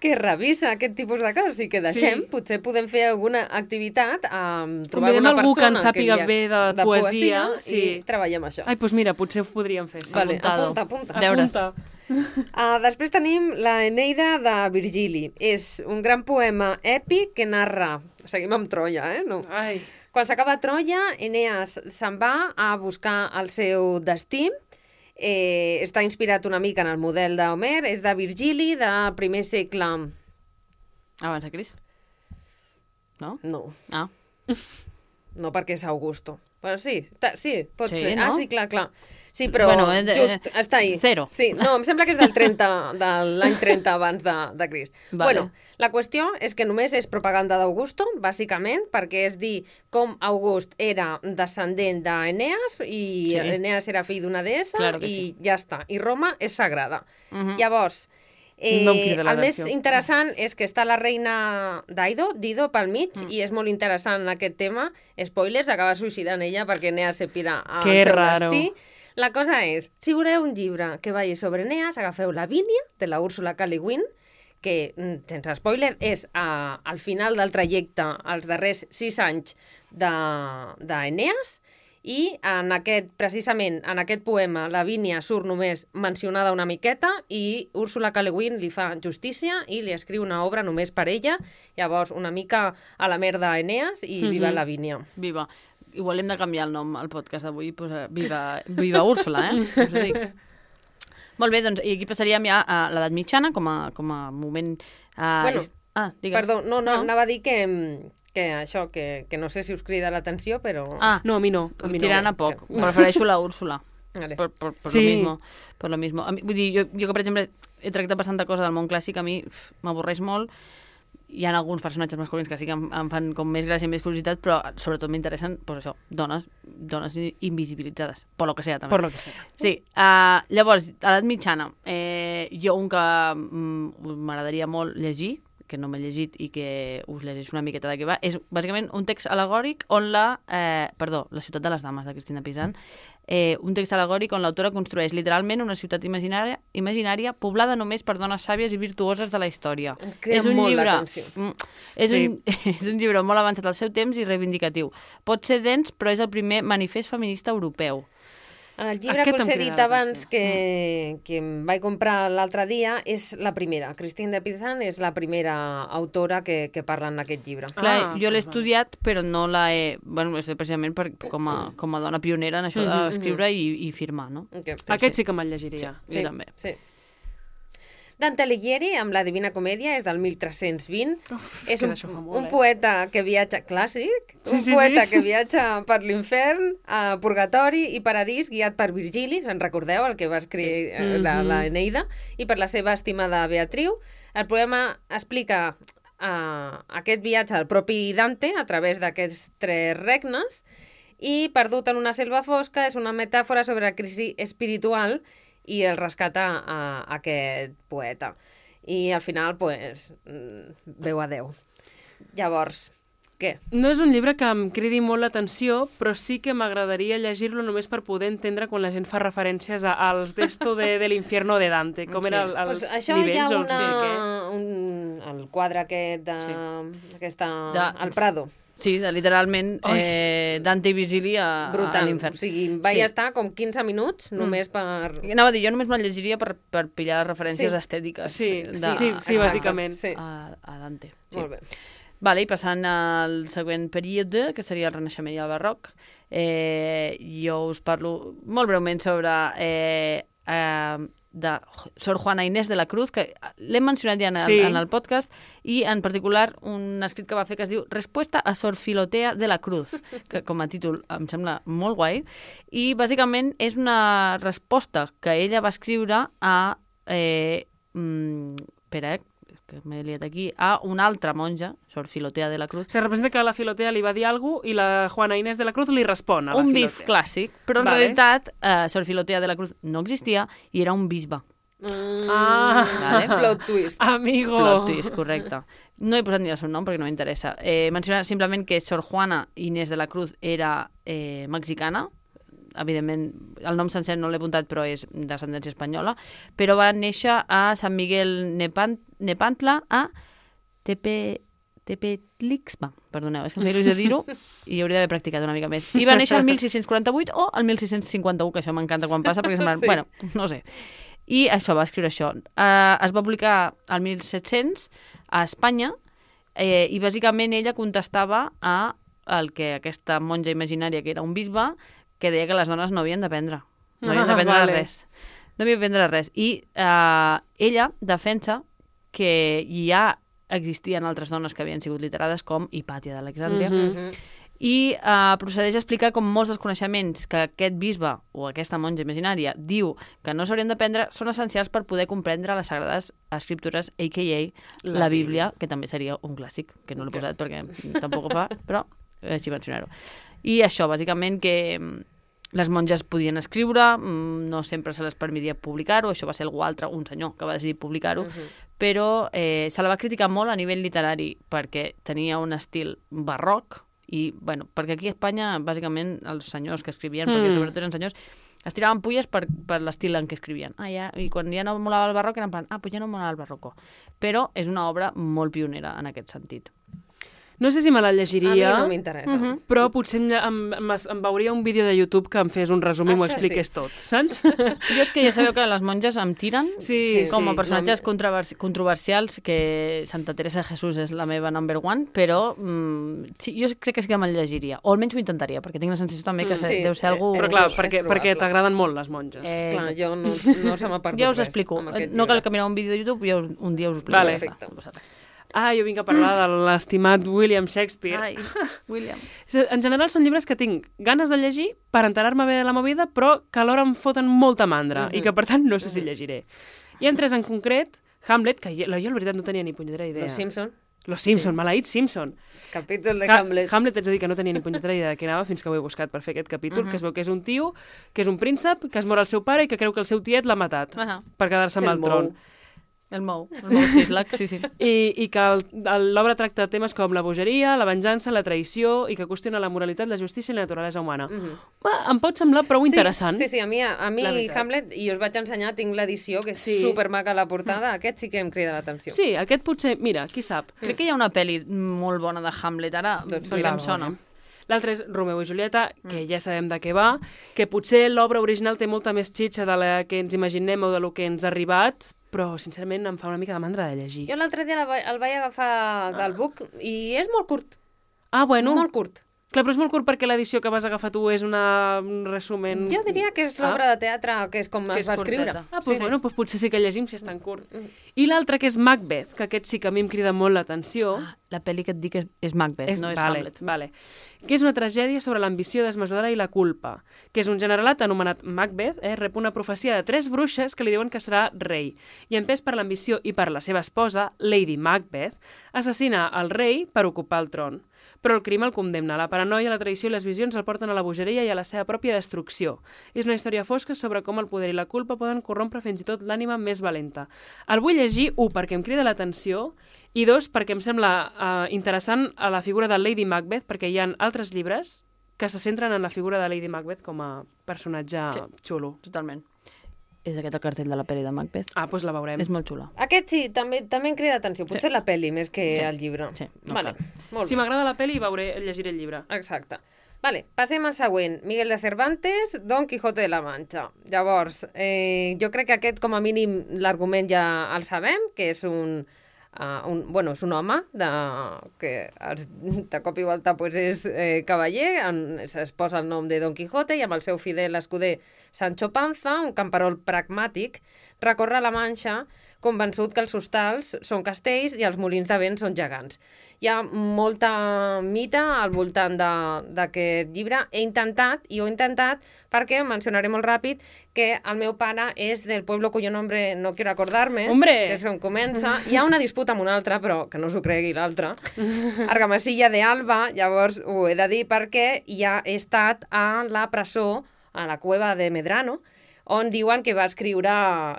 que revisa aquest tipus de coses i que deixem, Sí. potser podem fer alguna activitat, trobar Convidem una algú que persona en sàpiga hi ha- bé de poesia, sí. i treballem això. Ai, doncs mira, potser ho podríem fer, sí. Vale, apuntado. apunta. Deures. Apunta. Després tenim la Eneida de Virgili. És un gran poema èpic que narra... Seguim amb Troia, no? Ai, Quan s'acaba Troia, Eneas se'n va a buscar el seu destí. Està inspirat una mica en el model d'Homer. És de Virgili, de primer segle... Abans de Crist? No? No, Ah. no perquè és Augusto. Però sí, sí, pot Sí, ser. no? Ah, sí, clar. Sí, però just està ahí. 0. Sí, no, em sembla que és del 30, de l'any 30 abans de Crist. Vale. Bueno, la qüestió és que només és propaganda d'Augusto, bàsicament, perquè és dir com August era descendent d'Eneas i Eneas era fill d'una deessa i ja està. I Roma és sagrada. Llavors, el més interessant és que està la reina Dido pel mig i és molt interessant aquest tema. Spoilers, acaba suïcidant ella perquè Eneas se pira al seu destí. La cosa és, si voleu un llibre que vagi sobre Eneas, agafeu Lavínia, de la Úrsula K. Le Guin, que, sense spoiler, és al final del trajecte, als darrers 6 anys d'Eneas, i precisament en aquest poema Lavínia surt només mencionada una miqueta i Úrsula K. Le Guin li fa justícia i li escriu una obra només per ella, llavors una mica a la merda Eneas i viva Lavínia. Viva. Igual hem de canviar el nom al podcast d'avui, viva Úrsula, Us ho dic. Molt bé, doncs, i aquí passaríem ja a l'edat mitjana com a moment... Bueno, digues. Perdó, no, anava a dir que això, que no sé si us crida l'atenció, però... No, a mi no. Tirant a poc. Prefereixo la Úrsula. Vale. Por lo mismo. Vull dir, jo que, per exemple, he tractat bastanta cosa del món clàssic, a mi m'avorreix molt. Hi ha alguns personatges masculins que sí que em fan com més gràcia i més curiositat, però sobretot m'interessen, pues això, dones invisibilitzades, per lo que sea, també. Per lo que sea. Sí. Llavors, a l'edat mitjana, jo un que m'agradaria molt llegir, que no m'he llegit i que us llegeix una miqueta de què va, és bàsicament un text al·legòric on La ciutat de les dames, de Cristina Pizan, un text al·legòric on l'autora construeix literalment una ciutat imaginària poblada només per dones sàvies i virtuoses de la història. Em crea molt l'atenció. És un llibre molt avançat al seu temps i reivindicatiu. Pot ser dens, però és el primer manifest feminista europeu. El llibre que us he dit abans que em vaig comprar l'altre dia és la primera. Cristina Pizan és la primera autora que parla en aquest llibre. Clar, jo l'he estudiat, però no la he... Bueno, és precisament com a dona pionera en això d'escriure i firmar, no? Aquest sí que me'l llegiria. Sí, també. Sí. Dante Alighieri, amb la Divina Comèdia, és del 1320. És un poeta que viatja... Clàssic? Poeta que viatja per l'infern, purgatori i paradís, guiat per Virgili, se'n recordeu, el que va escriure la Eneida, i per la seva estimada Beatriu. El poema explica aquest viatge del propi Dante a través d'aquests 3 regnes i, perdut en una selva fosca, és una metàfora sobre la crisi espiritual i el rescata a aquest poeta. I al final, pues, veu a Déu. Llavors, què? No és un llibre que em cridi molt l'atenció, però sí que m'agradaria llegir-lo només per poder entendre quan la gent fa referències als d'esto de l'infierno de Dante, com eren els nivells o no sé què. El quadre aquest al Prado. Sí, literalment Dante i Virgili a l'infern. O sigui, vaig estar com 15 minuts només per... Anava a dir, jo només me'l llegiria per pillar les referències estètiques. Sí, bàsicament. A Dante. Molt bé. Vale, i passant al següent període, que seria el Renaixement i el Barroc, jo us parlo molt breument sobre de Sor Juana Inés de la Cruz, que l'hem mencionat ja en el podcast, i en particular un escrit que va fer que es diu Respuesta a Sor Filotea de la Cruz, que com a títol em sembla molt guai, i bàsicament és una resposta que ella va escriure a que m'he liat aquí, a una altra monja, Sor Filotea de la Cruz. Se representa que la Filotea li va dir alguna cosa i la Juana Inés de la Cruz li respon a la Filotea. Un bif clàssic, però en realitat Sor Filotea de la Cruz no existia i era un bisbe. Vale? Plot twist. Amigo. Plot twist, correcte. No he posat ni el seu nom perquè no m'interessa. Mencionar simplement que Sor Juana Inés de la Cruz era mexicana, evidentment, el nom sencer no l'he apuntat, però és d'ascendència espanyola, però va néixer a Sant Miguel Nepantla, a Tepetlixpa. Perdoneu, és que em feia il·lusió dir-ho i hauria d'haver practicat una mica més. I va néixer el 1648 o el 1651, que això m'encanta quan passa, perquè sembla... Bueno, no sé. I això, va escriure això. Es va publicar al 1700 a Espanya i bàsicament ella contestava a el que aquesta monja imaginària, que era un bisbe, que deia que les dones no havien d'aprendre. No havien d'aprendre res. No havien d'aprendre res. I ella defensa que ja existien altres dones que havien sigut literades, com Hipàtia d'Alexandria, i procedeix a explicar com molts dels coneixements que aquest bisbe o aquesta monja imaginària diu que no s'haurien d'aprendre són essencials per poder comprendre les sagrades escriptures, a.k.a. la Bíblia, que també seria un clàssic, que no l'he posat perquè tampoc ho fa, però així mencionar-ho. I això, bàsicament, que les monges podien escriure, no sempre se les permetia publicar-ho, això va ser algú altre, un senyor, que va decidir publicar-ho, però se la va criticar molt a nivell literari perquè tenia un estil barroc i, bueno, perquè aquí a Espanya, bàsicament, els senyors que escrivien, perquè sobretot eren senyors, es tiraven pulles per l'estil en què escrivien. I quan ja no molava el barroc, eren en plan, pues ja no molava el barroco. Però és una obra molt pionera en aquest sentit. No sé si me la llegiria, A mi no m'interessa. però potser em veuria un vídeo de YouTube que em fes un resum i m'ho expliqués tot, saps? Jo és que ja sabeu que les monges em tiren Sí, com a sí, personatges controversials, que Santa Teresa de Jesús és la meva number one, però sí, jo crec que sí que me'l llegiria, o almenys ho intentaria, perquè tinc la sensació també que Sí, deu ser algú... Però clar, és perquè probable. t'agraden molt les monges. Clar, jo no se m'ha perdut Ja us res explico. amb aquest No cal llibre. que mireu un vídeo de YouTube, jo un dia us ho explico. Vale. Ja està. Perfecte. Jo vinc a parlar de l'estimat William Shakespeare. Ai, William. En general són llibres que tinc ganes de llegir per enterar-me bé de la movida, però que alhora em foten molta mandra i que, per tant, no sé si llegiré. Hi ha tres en concret, Hamlet, que jo, la veritat, no tenia ni punyetera idea. Los Simpson, Los Simpson, maleït Simpson. capítol de Hamlet. Hamlet, haig de dir que no tenia ni punyetera idea de què anava fins que ho he buscat per fer aquest capítol, que es veu que és un tio, que és un príncep, que es mor el seu pare i que creu que el seu tiet l'ha matat per quedar-se amb el tron. El Mou Sislak, sí. I que l'obra tracta temes com la bogeria, la venjança, la traïció i que qüestiona la moralitat, la justícia i la naturalesa humana. Em pot semblar prou interessant. Sí, a mi La veritat. Hamlet, i us vaig ensenyar, tinc l'edició, que és supermaca la portada, aquest sí que em crida l'atenció. Sí, aquest potser, mira, qui sap. Crec que hi ha una pel·li molt bona de Hamlet, ara perquè em sona. L'altre és Romeo i Julieta, que ja sabem de què va, que potser l'obra original té molta més xitxa de la que ens imaginem o de lo que ens ha arribat, però sincerament em fa una mica de mandra de llegir. Jo l'altre dia el vaig agafar del book i és molt curt, Ah, bueno. molt curt. Clar, però és molt curt perquè l'edició que vas agafar tu és un resumen... Jo diria que és l'obra de teatre, que és com Que es és va escriure. curteta. Ah, doncs bueno, doncs potser sí que llegim si és tan curt. I l'altre, que és Macbeth, que aquest sí que a mi em crida molt l'atenció. La pel·li que et dic és Macbeth, no és Hamlet. Vale. Que és una tragèdia sobre l'ambició desmesurada i la culpa, que és un generalat anomenat Macbeth, rep una profecia de 3 bruixes que li diuen que serà rei, i empès per l'ambició i per la seva esposa, Lady Macbeth, assassina el rei per ocupar el tron. Però el crim el condemna. La paranoia, la traïció i les visions el porten a la bogeria i a la seva pròpia destrucció. És una història fosca sobre com el poder i la culpa poden corrompre fins i tot l'ànima més valenta. El vull llegir, 1, perquè em crida l'atenció, i 2, perquè em sembla interessant a la figura de Lady Macbeth, perquè hi ha altres llibres que se centren en la figura de Lady Macbeth com a personatge xulo. Totalment. És aquest el cartell de la pel·li de Macbeth. Ah, doncs la veurem. És molt xula. Aquest sí, també em crida l'atenció. Potser la pel·li més que el llibre. Sí, no vale. Molt Si bé. m'agrada la pel·li, llegiré el llibre. Exacte. Vale, passem al següent. Miguel de Cervantes, Don Quijote de la Mancha. Llavors, jo crec que aquest, com a mínim, l'argument ja el sabem, que és és un home que de cop i volta pues, és cavaller, es posa el nom de Don Quijote i amb el seu fidel escuder Sancho Panza, un camperol pragmàtic, recorre la Manxa convençut que els hostals són castells i els molins de vent són gegants. Hi ha molta mita al voltant d'aquest llibre. He intentat perquè mencionaré molt ràpid que el meu pare és del pueblo cuyo nombre no quiero acordarme, Hombre! que és on comença. Hi ha una disputa amb un altre, però que no s'ho cregui l'altre. Argamasilla de Alba, llavors ho he de dir perquè ja he estat a la presó, a la cueva de Medrano, on diuen que va escriure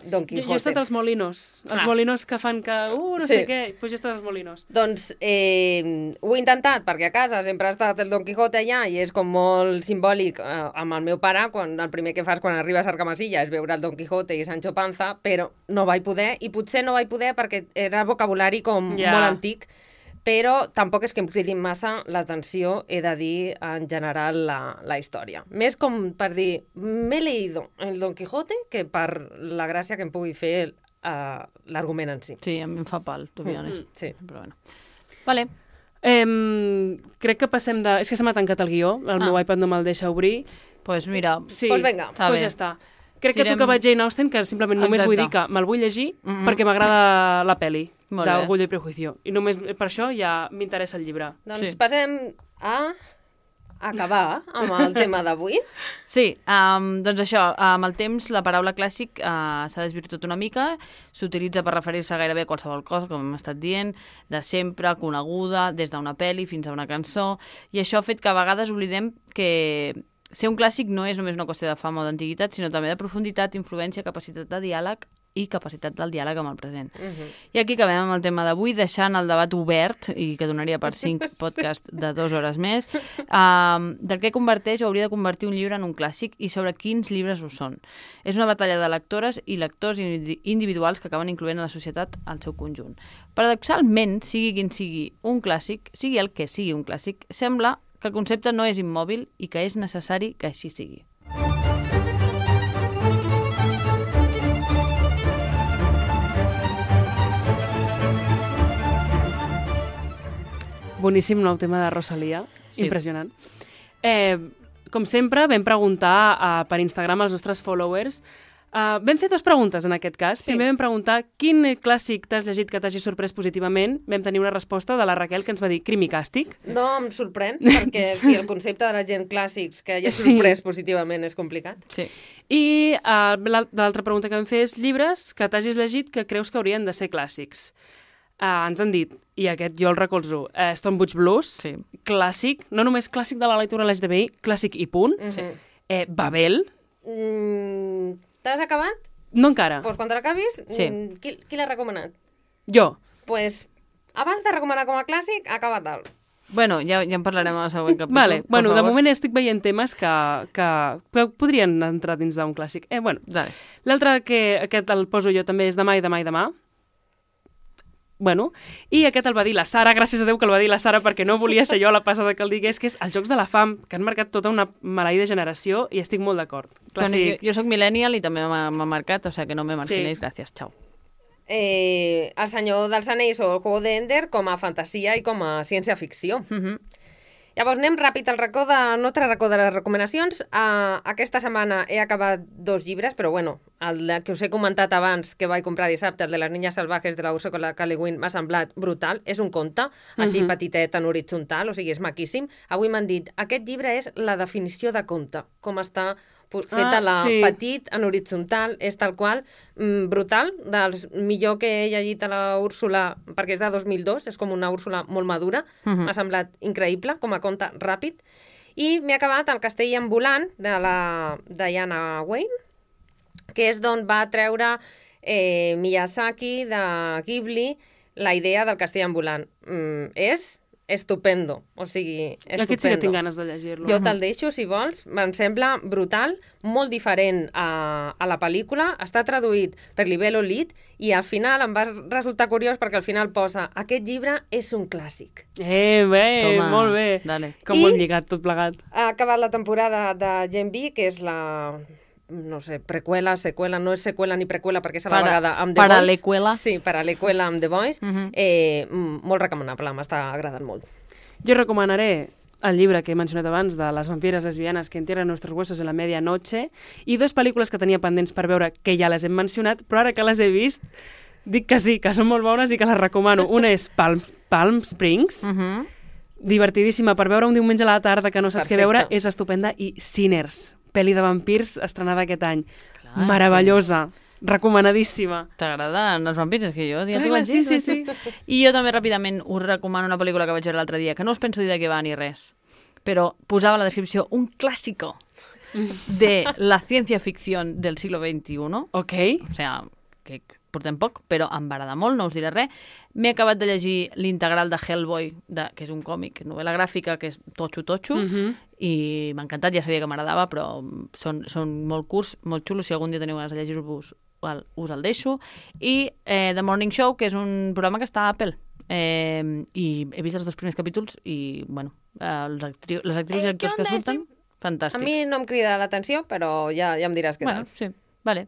Don Quijote. Jo he estat als Molinos. Els Molinos que fan que... no Sí. sé què. Doncs jo he estat als Molinos. Doncs ho he intentat, perquè a casa sempre ha estat el Don Quijote allà i és com molt simbòlic amb el meu pare, quan el primer que fas quan arribes a Argamasilla és veure el Don Quijote i Sancho Panza, però no vaig poder, i potser no vaig poder perquè era vocabulari com molt antic, però tampoc és que em cridin massa l'atenció, he de dir, en general, la història. Més com per dir, m'he leído el Don Quijote que per la gràcia que em pugui fer l'argument en si. Sí, a mi em fa pal, to be honest. Sí. Però bueno. Vale. Crec que passem de... És que se m'ha tancat el guió, el meu iPad no me'l deixa obrir. Pues mira, Sí, Pues vinga, està pues bé. ja està. Crec que tocava Jane Austen, que simplement només Exacte. vull dir que me'l vull llegir perquè m'agrada la pel·li Molt bé. d'Orgullo i Prejuicio. I només per això ja m'interessa el llibre. Doncs Sí. passem a acabar amb el tema d'avui. Sí, doncs això, amb el temps la paraula clàssic s'ha desvirtuat una mica, s'utilitza per referir-se gairebé a qualsevol cosa, com hem estat dient, de sempre, coneguda, des d'una pel·li fins a una cançó, i això ha fet que a vegades oblidem que ser un clàssic no és només una qüestió de fama o d'antiguitat, sinó també de profunditat, influència, capacitat de diàleg i capacitat del diàleg amb el present. I aquí acabem amb el tema d'avui, deixant el debat obert, i que donaria per 5 podcasts de 2 hores més, del que converteix o hauria de convertir un llibre en un clàssic i sobre quins llibres ho són. És una batalla de lectores i lectors individuals que acaben incloent a la societat al seu conjunt. Paradoxalment, sigui quin sigui un clàssic, sigui el que sigui un clàssic, sembla que el concepte no és immòbil i que és necessari que així sigui. Boníssim nou tema de Rosalia, Sí. impressionant. Com sempre, vam preguntar per Instagram als nostres followers. Vam fer 2 preguntes en aquest cas. Sí. Primer vam preguntar quin clàssic t'has llegit que t'hagi sorprès positivament. Vam tenir una resposta de la Raquel que ens va dir Crim i Càstig. No em sorprèn, perquè si el concepte de la gent clàssics que ja Sí. sorprès positivament és complicat. Sí. I l'altra pregunta que vam fer és llibres que t'hagis llegit que creus que haurien de ser clàssics. Ens han dit, i aquest jo el recolzo, Stonebridge Blues, Sí. clàssic, no només clàssic de la lectura LGTBI, clàssic i punt. Babel, T'has acabat? no encara. Doncs quan te l'acabis, Sí. Qui l'ha recomanat? Jo. Pues, abans de recomanar com a clàssic, acaba-te'l. Bueno, ja en parlarem al següent capítol. Vale, per bueno, de favor. moment estic veient temes que podrien entrar dins d'un clàssic. Bueno, Dale. l'altre que aquest el poso jo també és Demà i demà i demà. Bueno, i aquest el va dir la Sara, gràcies a Déu que el va dir la Sara perquè no volia ser jo la passada que el digués, que és els Jocs de la Fam, que han marcat tota una maleïda generació i estic molt d'acord. Bueno, Clàssic. jo soc millennial i també m'ha marcat, o sigui que no me marginéis, gràcies, xau. El Senyor dels Anells o el Juego de Ender com a fantasia i com a ciència-ficció. Llavors anem ràpid al racó de les recomanacions. Aquesta setmana he acabat 2 llibres, però bueno, el que us he comentat abans, que vaig comprar dissabte, el de Les niñas salvajes de la Ursula K. Le Guin, m'ha semblat brutal. És un conte, així petitet en horitzontal, o sigui, és maquíssim. Avui m'han dit, aquest llibre és la definició de conte, com està feta sí. petit, en horitzontal, és tal qual, brutal, dels millor que he llegit a la Úrsula, perquè és de 2002, és com una Úrsula molt madura, m'ha semblat increïble, com a conte ràpid, i m'he acabat El castell ambulant, de la Diana Wayne, que és d'on va treure Miyazaki, de Ghibli, la idea del castell ambulant. És estupendo, o sigui, estupendo. Aquest sí que tinc ganes de llegir-lo. Jo te'l deixo, si vols. Em sembla brutal, molt diferent a la pel·lícula. Està traduït per Libello Lit i al final em va resultar curiós perquè al final posa aquest llibre és un clàssic. Toma, Molt bé. dale. Com ho hem lligat tot plegat. Ha acabat la temporada de Gen V, que és la... no sé, preqüela, seqüela, no és seqüela ni preqüela perquè és a la vegada amb The Boys. Paraleqüela. Sí, paraleqüela amb The Boys. Molt recomanable, m'està agradant molt. Jo recomanaré el llibre que he mencionat abans de Les vampires lesbianes que entierran nuestros huesos en la medianoche i 2 pel·lícules que tenia pendents per veure que ja les hem mencionat, però ara que les he vist dic que sí, que són molt bones i que les recomano. Una és Palm Springs, divertidíssima per veure un diumenge a la tarda que no saps què veure, és estupenda, i Sinners, pel·li de vampirs estrenada aquest any. Clar, meravellosa, recomanadíssima. T'agraden els vampirs? És que jo ja Clar, t'ho vaig dir. sí. I jo també ràpidament us recomano una pel·lícula que vaig veure l'altre dia, que no us penso dir de què va ni res, però posava a la descripció un clásico de la ciencia ficción del siglo XXI. Ok. O sigui, que portem poc, però em va agradar molt, no us diré res. M'he acabat de llegir l'integral de Hellboy, que és un còmic, novel·la gràfica, que és totxo, i m'ha encantat, ja sabia que m'agradava, però són molt curts, molt xulos, si algun dia teniu ganes de llegir-vos, us el deixo. I The Morning Show, que és un programa que està a Apple, i he vist els 2 primers capítols i, bueno, les actrius i actors que surten, fantàstics. A mi no em crida l'atenció, però ja em diràs què tal. Sí, vale.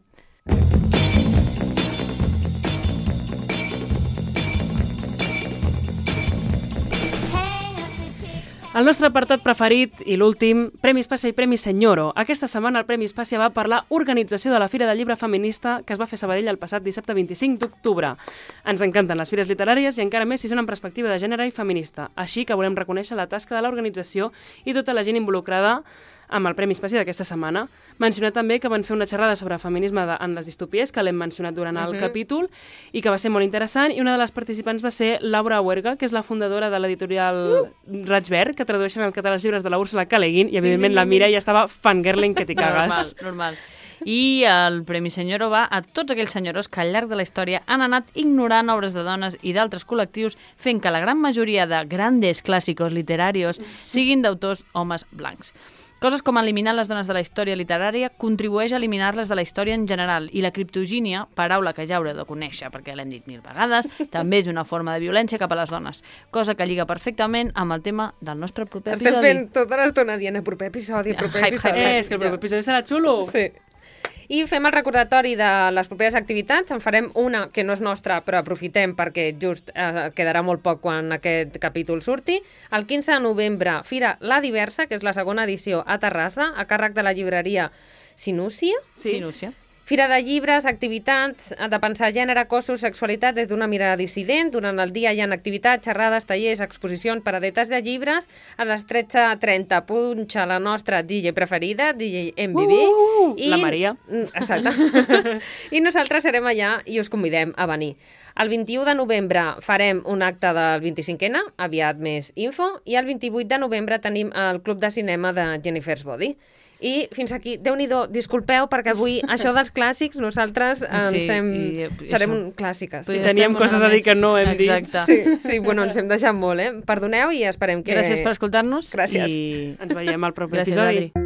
El nostre apartat preferit i l'últim, Premi Espàcia i Premi Senyoro. Aquesta setmana el Premi Espàcia va per la organització de la Fira del Llibre Feminista que es va fer a Sabadell el passat dissabte 25 d'octubre. Ens encanten les fires literàries i encara més si són en perspectiva de gènere i feminista. Així que volem reconèixer la tasca de l'organització i tota la gent involucrada amb el Premi Espàcia d'aquesta setmana. Mencionar també que van fer una xerrada sobre feminisme en les distopies, que l'hem mencionat durant el capítol, i que va ser molt interessant, i una de les participants va ser Laura Huerga, que és la fundadora de l'editorial Raig Verd, que tradueixen al català els llibres de la Úrsula K. Le Guin, i evidentment la Mira ja estava fangirling que t'hi cagues. Normal. I el Premi Senyoro va a tots aquells senyoros que al llarg de la història han anat ignorant obres de dones i d'altres col·lectius, fent que la gran majoria de grandes clàssicos literarios siguin d'autors homes blancs. Coses com eliminar les dones de la història literària contribueix a eliminar-les de la història en general, i la criptogínia, paraula que ja haureu de conèixer perquè l'hem dit 1000 vegades, també és una forma de violència cap a les dones, cosa que lliga perfectament amb el tema del nostre proper episodi. Estem fent tota l'estona dient proper episodi. És que el proper episodi serà xulo. Sí. I fem el recordatori de les properes activitats. En farem una que no és nostra, però aprofitem perquè just quedarà molt poc quan aquest capítol surti. El 15 de novembre, Fira La Diversa, que és la segona edició a Terrassa, a càrrec de la llibreria Sinúcia. Sinúcia. Fira de llibres, activitats de pensar gènere, cossos, sexualitat des d'una mirada dissident. Durant el dia hi ha activitats, xerrades, tallers, exposicions, paradetes de llibres. A les 13:30 punxa la nostra DJ preferida, DJ MBB. La Maria. Exacte. I nosaltres serem allà i us convidem a venir. El 21 de novembre farem un acte del 25N, aviat més info, i el 28 de novembre tenim el Club de Cinema de Jennifer's Body. I fins aquí, Déu-n'hi-do, disculpeu, perquè avui això dels clàssics nosaltres serem clàssiques. Sí, teníem coses a dir que no hem dit. Sí, bueno, ens hem deixat molt, Perdoneu i esperem que... Gràcies per escoltar-nos. Gràcies. I ens veiem al proper gràcies, episodi. Adri.